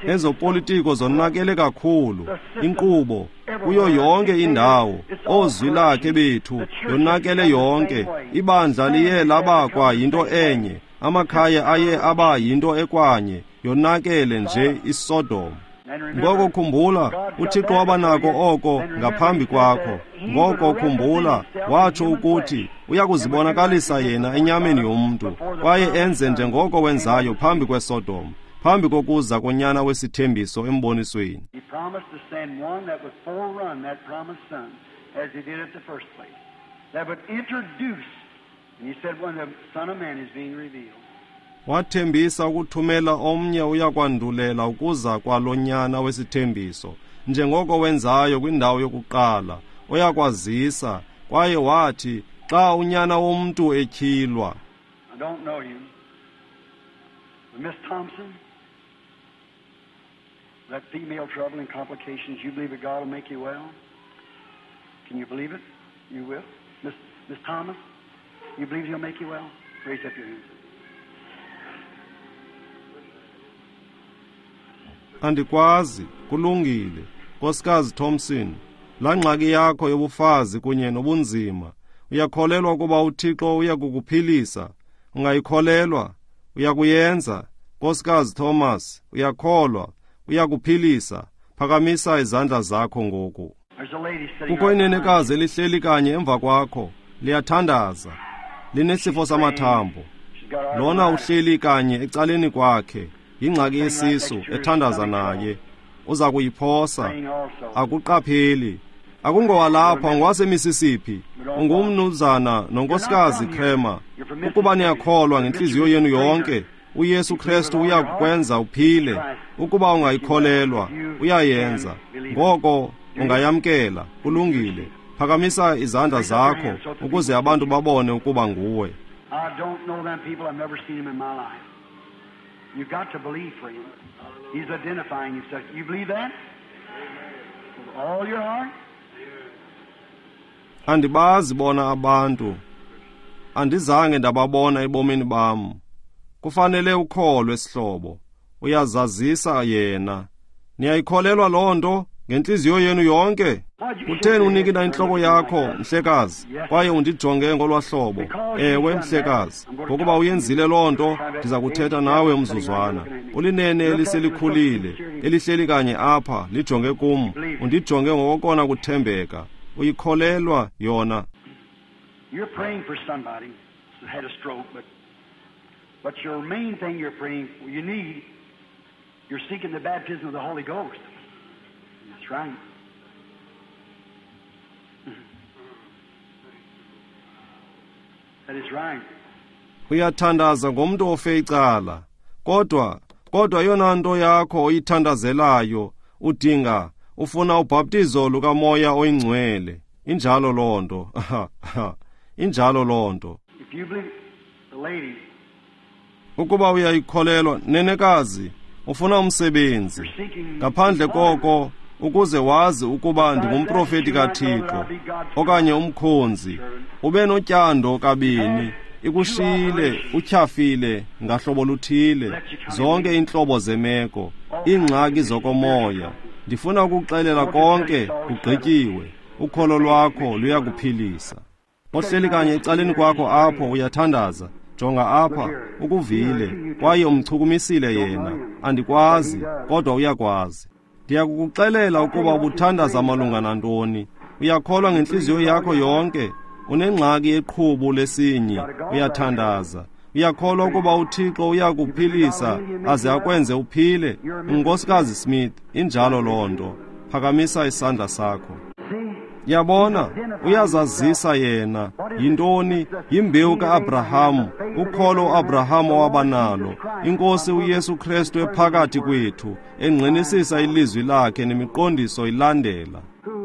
Ezopolitiko zonakele kakhulu, inkqubo kuyo yonke indawo, oozwi lakhe bethu yonakele yonke. Ibandla liye laba kwa yinto enye, amakhaya aye aba yinto ekwanye, yonakele nje iSodom. Ngoko khumbula, uThixo wabanako oko ngaphambi kwakho. Ngoko khumbula, watsho ukuthi uyakuzibonakalisa yena enyameni yomntu, kwaye enze njengoko wenzayo phambi kweSodom, phambi kokuza konyana wesithembiso embonisweni. He promised to send one that would forerun that promised son, as he did at the first place, that would introduce, and he said when the Son of Man is being revealed. Wathembisa ukuthumela omnye uyakwandulela ukuza kwalonyana wesithembiso, njengoko wenzayo kwindawo yokuqala, oyakwazisa. Kwaye wathi xa unyana womntu etyhilwa. I don't know you. But Miss Thompson, that female trouble and complications, you believe that God will make you well? Can you believe it? You will. Miss, Miss Thomas, you believe He'll make you well? Raise up your hands. Andikwazi, kulungile. Nkosikazi Thompson, laa ngxaki yakho yobufazi kunye nobunzima, uyakholelwa ukuba uThixo uyakukuphilisa? Ungayikholelwa? Uyakuyenza? Nkosikazi Thomas, uyakholwa? Uyakuphilisa? Phakamisa izandla zakho ngoku. There's a lady sitting Kukho right behind inenekazi elihleli kanye emva kwakho, liyathandaza, linesifo samathambo. She's got Lona arthritis. uhleli kanye ecaleni kwakhe, yingxaki yesisu, ethandaza naye. Uza kuyiphosa, Praying also. akuqapheli. Akungowalapha, ngwaseMississippi. Ungumnumzana nonkosikazi Kramer. Ukuba niyakholwa ngentliziyo yenu yonke, uYesu Kristu uyakukwenza uphile. Ukuba ungayikholelwa, uyayenza. Ngoko ungayamkela. Kulungile. Phakamisa izandla zakho ukuze abantu babone ukuba nguwe. I don't know them people. I've never seen them in my life. You've got to believe for him. He's identifying himself. You believe that? With all your heart? Andibazi bona abantu. Andizange ndababona ebomini bam. Kufanele ukholwe, sihlobo. Uyazazisa yena. Niyayikholelwa loo nto Ngentliziyo yenu yonke? Kutheni unikina intloko yakho, mhlekazi, kwaye undijonge ngolwa hlobo? Ewe, mhlekazi, ngokuba uyenzile loo nto, ndiza kuthetha nawe umzuzwana. Ulinene eliselikhulile, elihleli kanye apha, lijonge kum, undijonge ngokokona kuthembeka. Uyikholelwa yona. You're praying for somebody who had a stroke, but but your main thing you're praying, you need, you're seeking the baptism of the Holy Ghost. That's right. That is right. Uyathandaza ngomntu ofe icala, kodwa kodwa yona nto yakho oyithandazelayo udinga ufuna ubhaptizo lukaMoya oyiNgcwele. Injalo loo nto. Injalo loo nto. If you believe the lady, Ukuba uyayikholelwa, nenekazi, ufuna umsebenzi. Ngaphandle koko, ukuze wazi ukuba ndingumprofeti kaThixo okanye umkhonzi, ube notyando kabini, ikushiyile, utyhafile ngahlobo luthile, zonke iintlobo zemeko, iingxaki zokomoya. Ndifuna ukuxelela konke kugqityiwe. Ukholo lwakho luyakuphilisa. Ohleli kanye ecaleni kwakho apho uyathandaza. Jonga apha, ukuvile, kwaye umchukumisile yena. Andikwazi, kodwa uyakwazi. Ndiyakukuxelela ukuba ubuthandaza malunga nantoni. Uyakholwa ngentliziyo yakho yonke. Unengxaki yeqhubu lesinyi, uyathandaza. Uyakholwa ukuba uThixo uyakuphilisa aze akwenze uphile. Unkosikazi Smith, injalo loo nto. Phakamisa isandla sakho. Yabona, uyazazisa yena. Yintoni? Yimbewu ka-Abrahamu, ukholo uAbrahamu owabanalo. INkosi uYesu Kristu ephakathi kwethu, engqinisisa ilizwi lakhe nemiqondiso ilandela.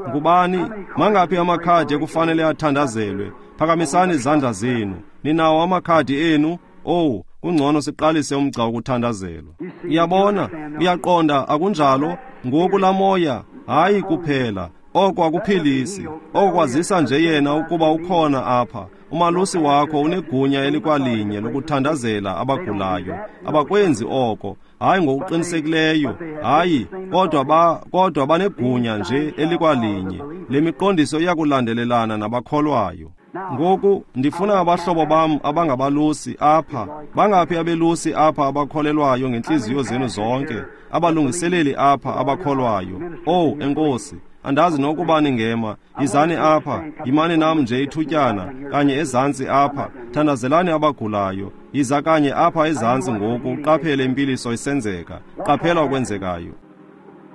Ngubani? Mangaphi amakhadi ekufanele athandazelwe? Phakamisani izandla zenu. Ninawo amakhadi enu? Oh, kungcono siqalise umgca wokuthandazelwa. Uyabona, uyaqonda, akunjalo? Ngoku laa moya, hayi kuphela. Oko akuphilisi, oko kwazisa nje yena ukuba ukhona apha. Umalusi wakho unegunya elikwalinye lokuthandazela abagulayo. Abakwenzi oko, hayi ngokuqinisekileyo, hayi, kodwa ba kodwa banegunya nje elikwalinye. Le miqondiso iyakulandelelana nabakholwayo. Ngoku ndifuna abahlobo bam abangabalusi apha. Bangaphi abelusi apha abakholelwayo ngentliziyo zenu zonke? Abalungiseleli apha abakholwayo. Oh, enkosi. Andazi nokuba ningema. Yizani apha, yimani nam nje ithutyana, kanye ezantsi apha. Thandazelani abagulayo. Yiza kanye apha ezantsi ngoku, uqaphele impiliso isenzeka. Qaphela okwenzekayo.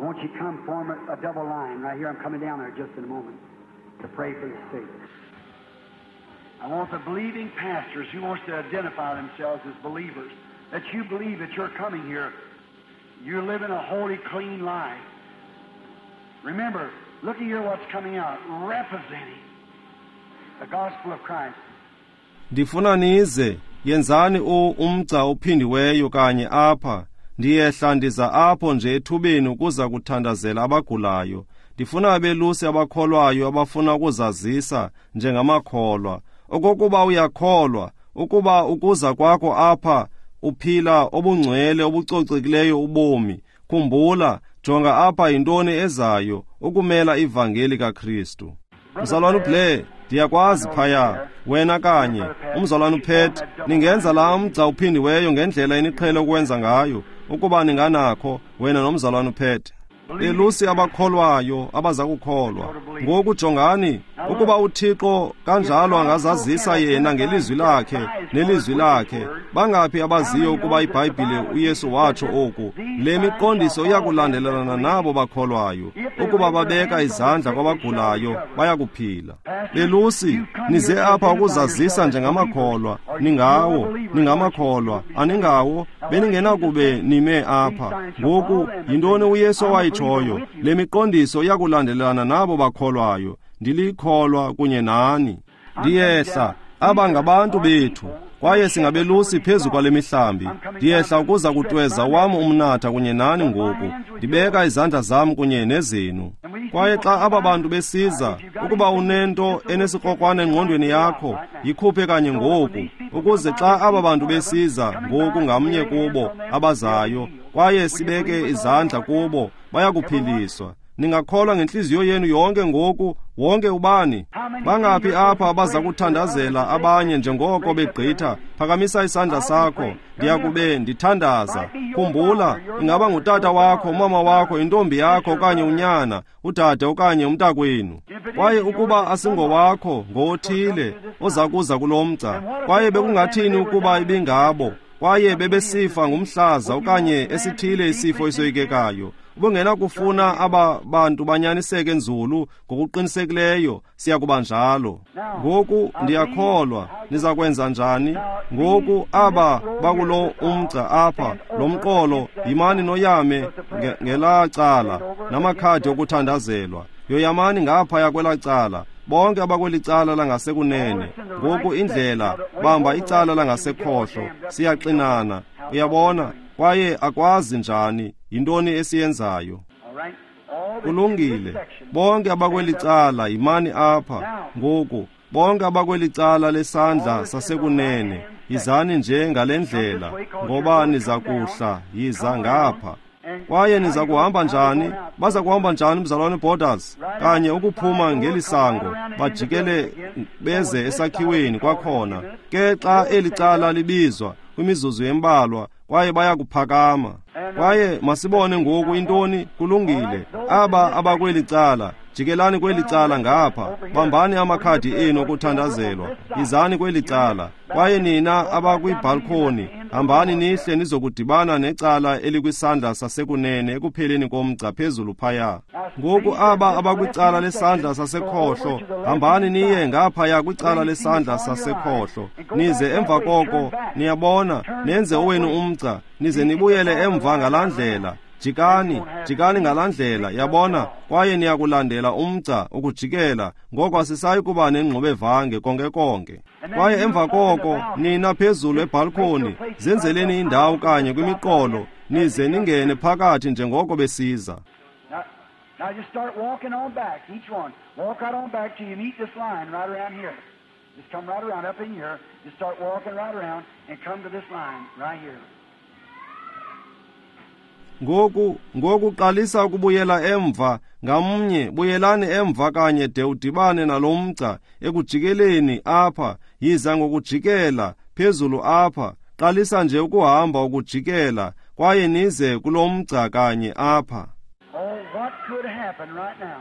Won't you come form a, a double line right here? I'm coming down there just in a moment to pray for the sick. I want the believing pastors who wants to identify themselves as believers, that you believe that you're coming here, you're living a holy, clean life. Remember, look here what's coming out, representing the gospel of Christ. Ndifuna nize, yenzani u umgca ophindiweyo kanye apha. Ndiyehla ndiza apho nje ethubeni ukuza kuthandazela abagulayo. Ndifuna abelusi abakholwayo abafuna ukuzazisa njengamakholwa. Okokuba uyakholwa, ukuba ukuza kwakho apha uphila obungcwele obucocekileyo ubomi. Khumbula, jonga apha yintoni ezayo ukumela ivangeli kaKristu. Mzalwana uBlair, ndiyakwazi phaya, wena kanye, umzalwana uPet, ningenza laa mgca uphindiweyo ngendlela eniqhele ukwenza ngayo, ukuba ninganakho, wena nomzalwana uPet. Belusi abakholwayo abaza kukholwa. Ngoku jongani, ukuba uThixo kanjalo angazazisa yena ngelizwi lakhe nelizwi lakhe, bangaphi abaziyo ukuba iBhayibhile uYesu watsho oku? Le miqondiso iyakulandelelana nabo bakholwayo. Ukuba babeka izandla kwabagulayo, bayakuphila. Belusi, nize apha ukuzazisa njengamakholwa. Ningawo, ningamakholwa, aningawo, beningenakube nime apha. Ngoku, yintoni uYesu owayitshoyo? Le miqondiso iyakulandelelana nabo bakholwayo. Ndilikholwa kunye nani. Ndiyehla, aba ngabantu bethu, kwaye singabelusi phezu kwale mihlambi. Ndiyehla ukuza kutweza wam umnatha kunye nani ngoku. Ndibeka izandla zam kunye nezenu. Kwaye xa aba bantu besiza, ukuba unento enesikrokrwana engqondweni yakho, yikhuphe kanye ngoku, ukuze xa aba bantu besiza ngoku ngamnye kubo abazayo, kwaye sibeke izandla kubo, bayakuphiliswa. Ningakholwa ngentliziyo yenu yonke ngoku, wonke ubani. Bangaphi apha abaza kuthandazela abanye njengoko begqitha? Phakamisa isandla sakho. Ndiyakube ndithandaza. Khumbula, ingaba ngutata wakho, umama wakho, intombi yakho okanye unyana, udade okanye umntakwenu. Kwaye ukuba asingowakho, ngowothile oza kuza kulo mgca. Kwaye bekungathini ukuba ibingabo? Kwaye bebesifa ngumhlaza okanye esithile isifo esoyikekayo. Ubungenakufuna aba bantu banyaniseke nzulu ngokuqinisekileyo, siya kuba njalo. Ngoku ndiyakholwa niza kwenza njani? Ngoku aba bakulo umgca apha, lo mqolo, yimani noyame ngelaa cala namakhadi okuthandazelwa. Yoyamani ngaphaya kwelaa cala, bonke abakweli cala langasekunene. Ngoku indlela, bamba icala langasekhohlo, siyaxinana. Uyabona? Kwaye akwazi njani, yintoni esiyenzayo? Kulungile. Bonke abakweli cala, yimani apha. Ngoku, bonke abakweli cala lesandla sasekunene, yizani nje ngale ndlela, ngoba niza kuhla, yiza ngapha. Kwaye niza kuhamba njani? Baza kuhamba njani, mzalwane Borders? Kanye ukuphuma ngeli sango, bajikele beze esakhiweni kwakhona. Ke xa eli cala libizwa kwimizuzu embalwa, kwaye baya kuphakama. Kwaye masibone ngoku intoni. Kulungile. Aba abakweli cala, jikelani kweli cala ngapha, bambani amakhadi enu okuthandazelwa, yizani kweli cala. Kwaye nina abakwibhalkhoni, hambani nihle nizokudibana necala elikwisandla sasekunene ekupheleni komgca phezulu phaya. Ngoku aba abakwicala lesandla sasekhohlo, hambani niye ngaphaya kwicala lesandla sasekhohlo, nize emva koko, niyabona, nenze owenu umgca, nize nibuyele emva ngalaa ndlela. Jikani, jikani ngalaa ndlela, yabona, kwaye niyakulandela umgca ukujikela, ngoko asisayi kuba nengxubevange konke konke. Kwaye emva koko, nina phezulu ebhalkhoni, zenzeleni indawo kanye kwimiqolo, nize ningene phakathi njengoko besiza. Now just start walking on back, each one. Walk right on back till you meet this line right around here. Just come right around up in here. Just start walking right around and come to this line right here. Ngoku, ngoku qalisa ukubuyela emva, ngamnye, buyelani emva kanye de udibane nalo mgca ekujikeleni apha, yiza ngokujikela phezulu apha, qalisa nje ukuhamba ukujikela, kwaye nize kulo mgca kanye apha. Oh, what could happen right now?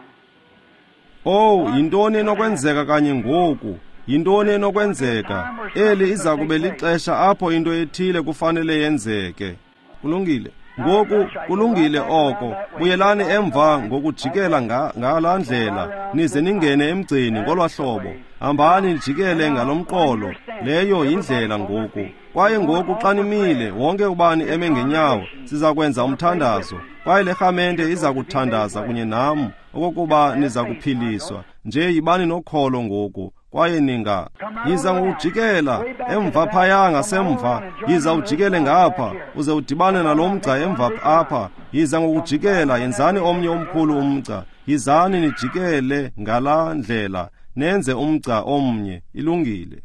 Oh, yintoni enokwenzeka kanye ngoku? Yintoni enokwenzeka? Eli iza kube lixesha apho into ethile kufanele yenzeke. Kulungile. Ngoku kulungile oko. Buyelani emva ngokujikela ngalaa ndlela, nize ningene emgceni ngolwa hlobo. Hambani nijikele ngalomqolo. Leyo yindlela ngoku. Kwaye ngoku xa nimile, wonke ubani eme ngenyawo, siza kwenza umthandazo. Kwaye le rhamente iza kuthandaza kunye nam okokuba niza kuphiliswa. Nje yibani nokholo ngoku. Kwaye ninga yiza ngokujikela emva phaya ngasemva, yiza ujikele ngapha, uze udibane nalo mgca emva apha. Yiza ngokujikela, yenzani omnye omkhulu umgca. Yizani nijikele ngalaa ndlela, nenze umgca omnye. Ilungile.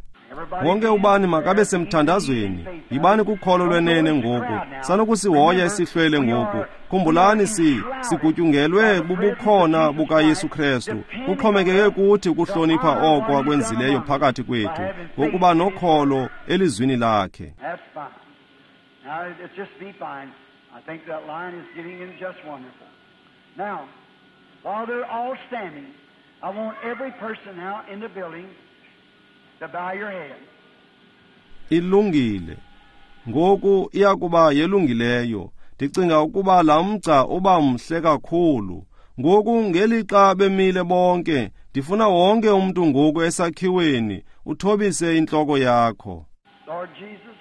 Wonke ubani makabe semthandazweni. Yibani kukholo lwenene ngoku. Sanokusihoya isihlwele ngoku. Khumbulani si sigutyungelwe bubukhona bukaYesu Kristu. Kuxhomekeke kuthi ukuhlonipha oko akwenzileyo phakathi kwethu ngokuba nokholo elizwini lakhe. That's fine. Now, it's just be fine. I think that line is getting in just wonderful. Now, while they're all standing, I want every person now in the building to bow your head. Ilungile. Ngoku iyakuba yelungileyo. Ndicinga ukuba laa mgca uba mhle kakhulu. Ngoku ngelixa bemile bonke, ndifuna wonke umntu ngoku esakhiweni uthobise intloko yakho. Lord Jesus,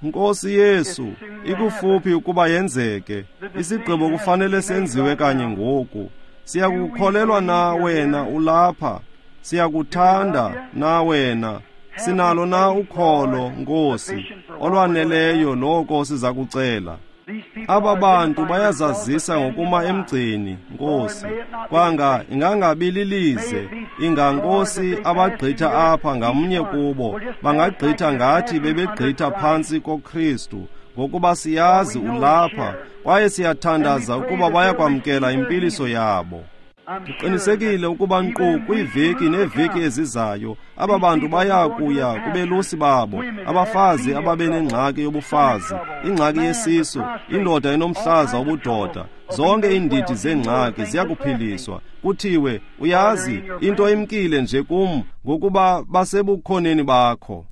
Nkosi Yesu, ikufuphi ukuba yenzeke. Isigqibo kufanele senziwe kanye ngoku. Siyakukholelwa na wena ulapha? Siyakuthanda na wena? Sinalo na ukholo, Nkosi, olwaneleyo loko siza kucela? Aba bantu bayazazisa ngokuma emgceni, Nkosi. Kwanga ingangabi lilize, inga Nkosi abagqitha apha ngamnye kubo, bangagqitha ngathi bebegqitha phantsi koKristu, ngokuba siyazi ulapha, kwaye siyathandaza ukuba bayakwamkela impiliso yabo. Ndiqinisekile ukuba nkqu kwiiveki neeveki ezizayo, aba bantu baya kuya kubelusi babo, abafazi ababenengxaki yobufazi, ingxaki yesisu, indoda enomhlaza wobudoda, zonke iindidi zeengxaki ziyakuphiliswa. Kuthiwe, uyazi, into imkile nje kum, ngokuba basebukhoneni bakho.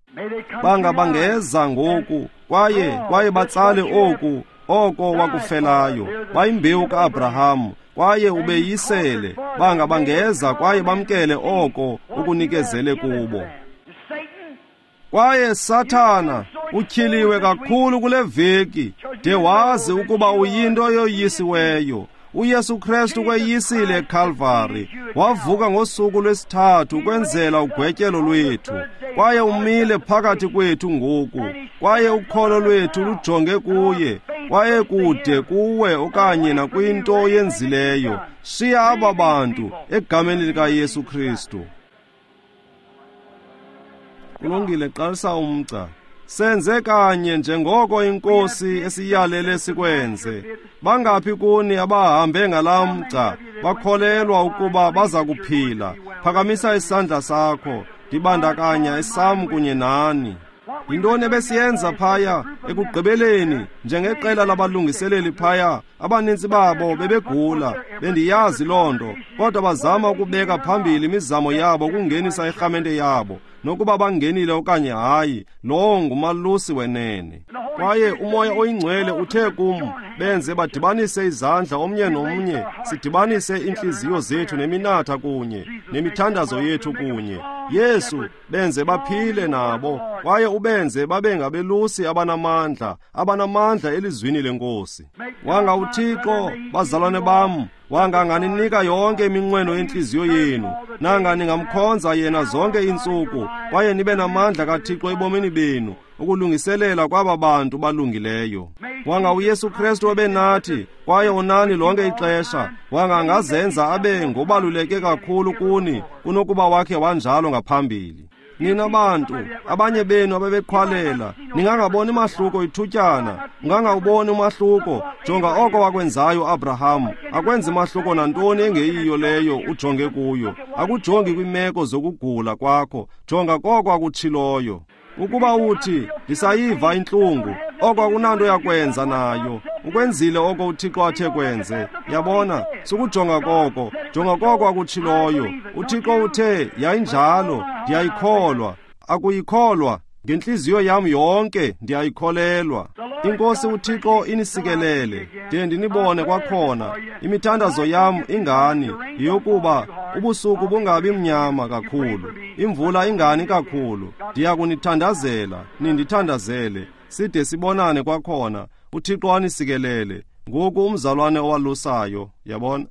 Banga bangeza ngoku, kwaye kwaye batsale oku, oko wakufelayo, bayimbewu ka-Abrahamu, kwaye ubeyisele. Banga bangeza kwaye bamkele oko ukunikezele kubo. Kwaye Sathana utyhiliwe kakhulu kule veki, de wazi ukuba uyinto yoyisiweyo. uYesu Kristu kweyisile eKalvari, wavuka ngosuku lwesithathu ukwenzela ugwetyelo lwethu, kwaye umile phakathi kwethu ngoku, kwaye ukholo lwethu lujonge kuye, kwaye kude kuwe okanye nakwinto oyenzileyo. Shiya aba bantu egameni likaYesu Kristu. Kulungile, qalisa umgca. Senze kanye njengoko iNkosi esiyalele sikwenze. Bangaphi kuni abahambe ngalaa mgca bakholelwa ukuba baza kuphila? Phakamisa isandla sakho, ndibandakanya esam kunye nani. Yintoni ebesiyenza phaya ekugqibeleni njengeqela labalungiseleli phaya? Abanintsi babo bebegula, bendiyazi loo nto, kodwa bazama ukubeka phambili imizamo yabo ukungenisa irhamente yabo, nokuba bangenile okanye hayi, lowo ngumalusi wenene. Kwaye uMoya oyiNgcwele uthe kum, benze badibanise izandla omnye nomnye, sidibanise iintliziyo zethu neminatha kunye, nemithandazo yethu kunye. Yesu, benze baphile nabo, kwaye ubenze babe ngabelusi abanamandla, abanamandla elizwini leNkosi. Wanga uThixo, bazalwane bam, wanga anganinika yonke iminqweno yentliziyo yenu, nanga ningamkhonza yena zonke iintsuku, kwaye nibe namandla kaThixo ebomini benu, ukulungiselela kwaba bantu balungileyo. Wanga uYesu Kristu ebenathi, kwaye unani lonke ixesha, wanga angazenza abe ngobaluleke kakhulu kuni kunokuba wakhe wanjalo ngaphambili. Nina bantu, abanye benu abebeqhwalela, ningangaboni mahluko ithutyana, ungangawuboni umahluko. Jonga oko wakwenzayo uAbraham, akwenzi mahluko nantoni engeyiyo leyo ujonge kuyo. Akujongi kwimeko zokugula kwakho, jonga koko akutshiloyo. Ukuba uthi, ndisayiva intlungu, oko akunanto yakwenza nayo. Ukwenzile oko uThixo athe kwenze. Yabona, sukujonga koko, jonga koko akutshiloyo. UThixo uthe, yayinjalo, ndiyayikholwa. Akuyikholwa, ngentliziyo yam yonke ndiyayikholelwa. INkosi uThixo inisikelele, de ndinibone kwakhona. Imithandazo yam ingani, yeyokuba ubusuku bungabi mnyama kakhulu, imvula ingani kakhulu. Ndiyakunithandazela, nindithandazele, side sibonane kwakhona. uThixo anisikelele. Ngoku umzalwane owalusayo, yabona.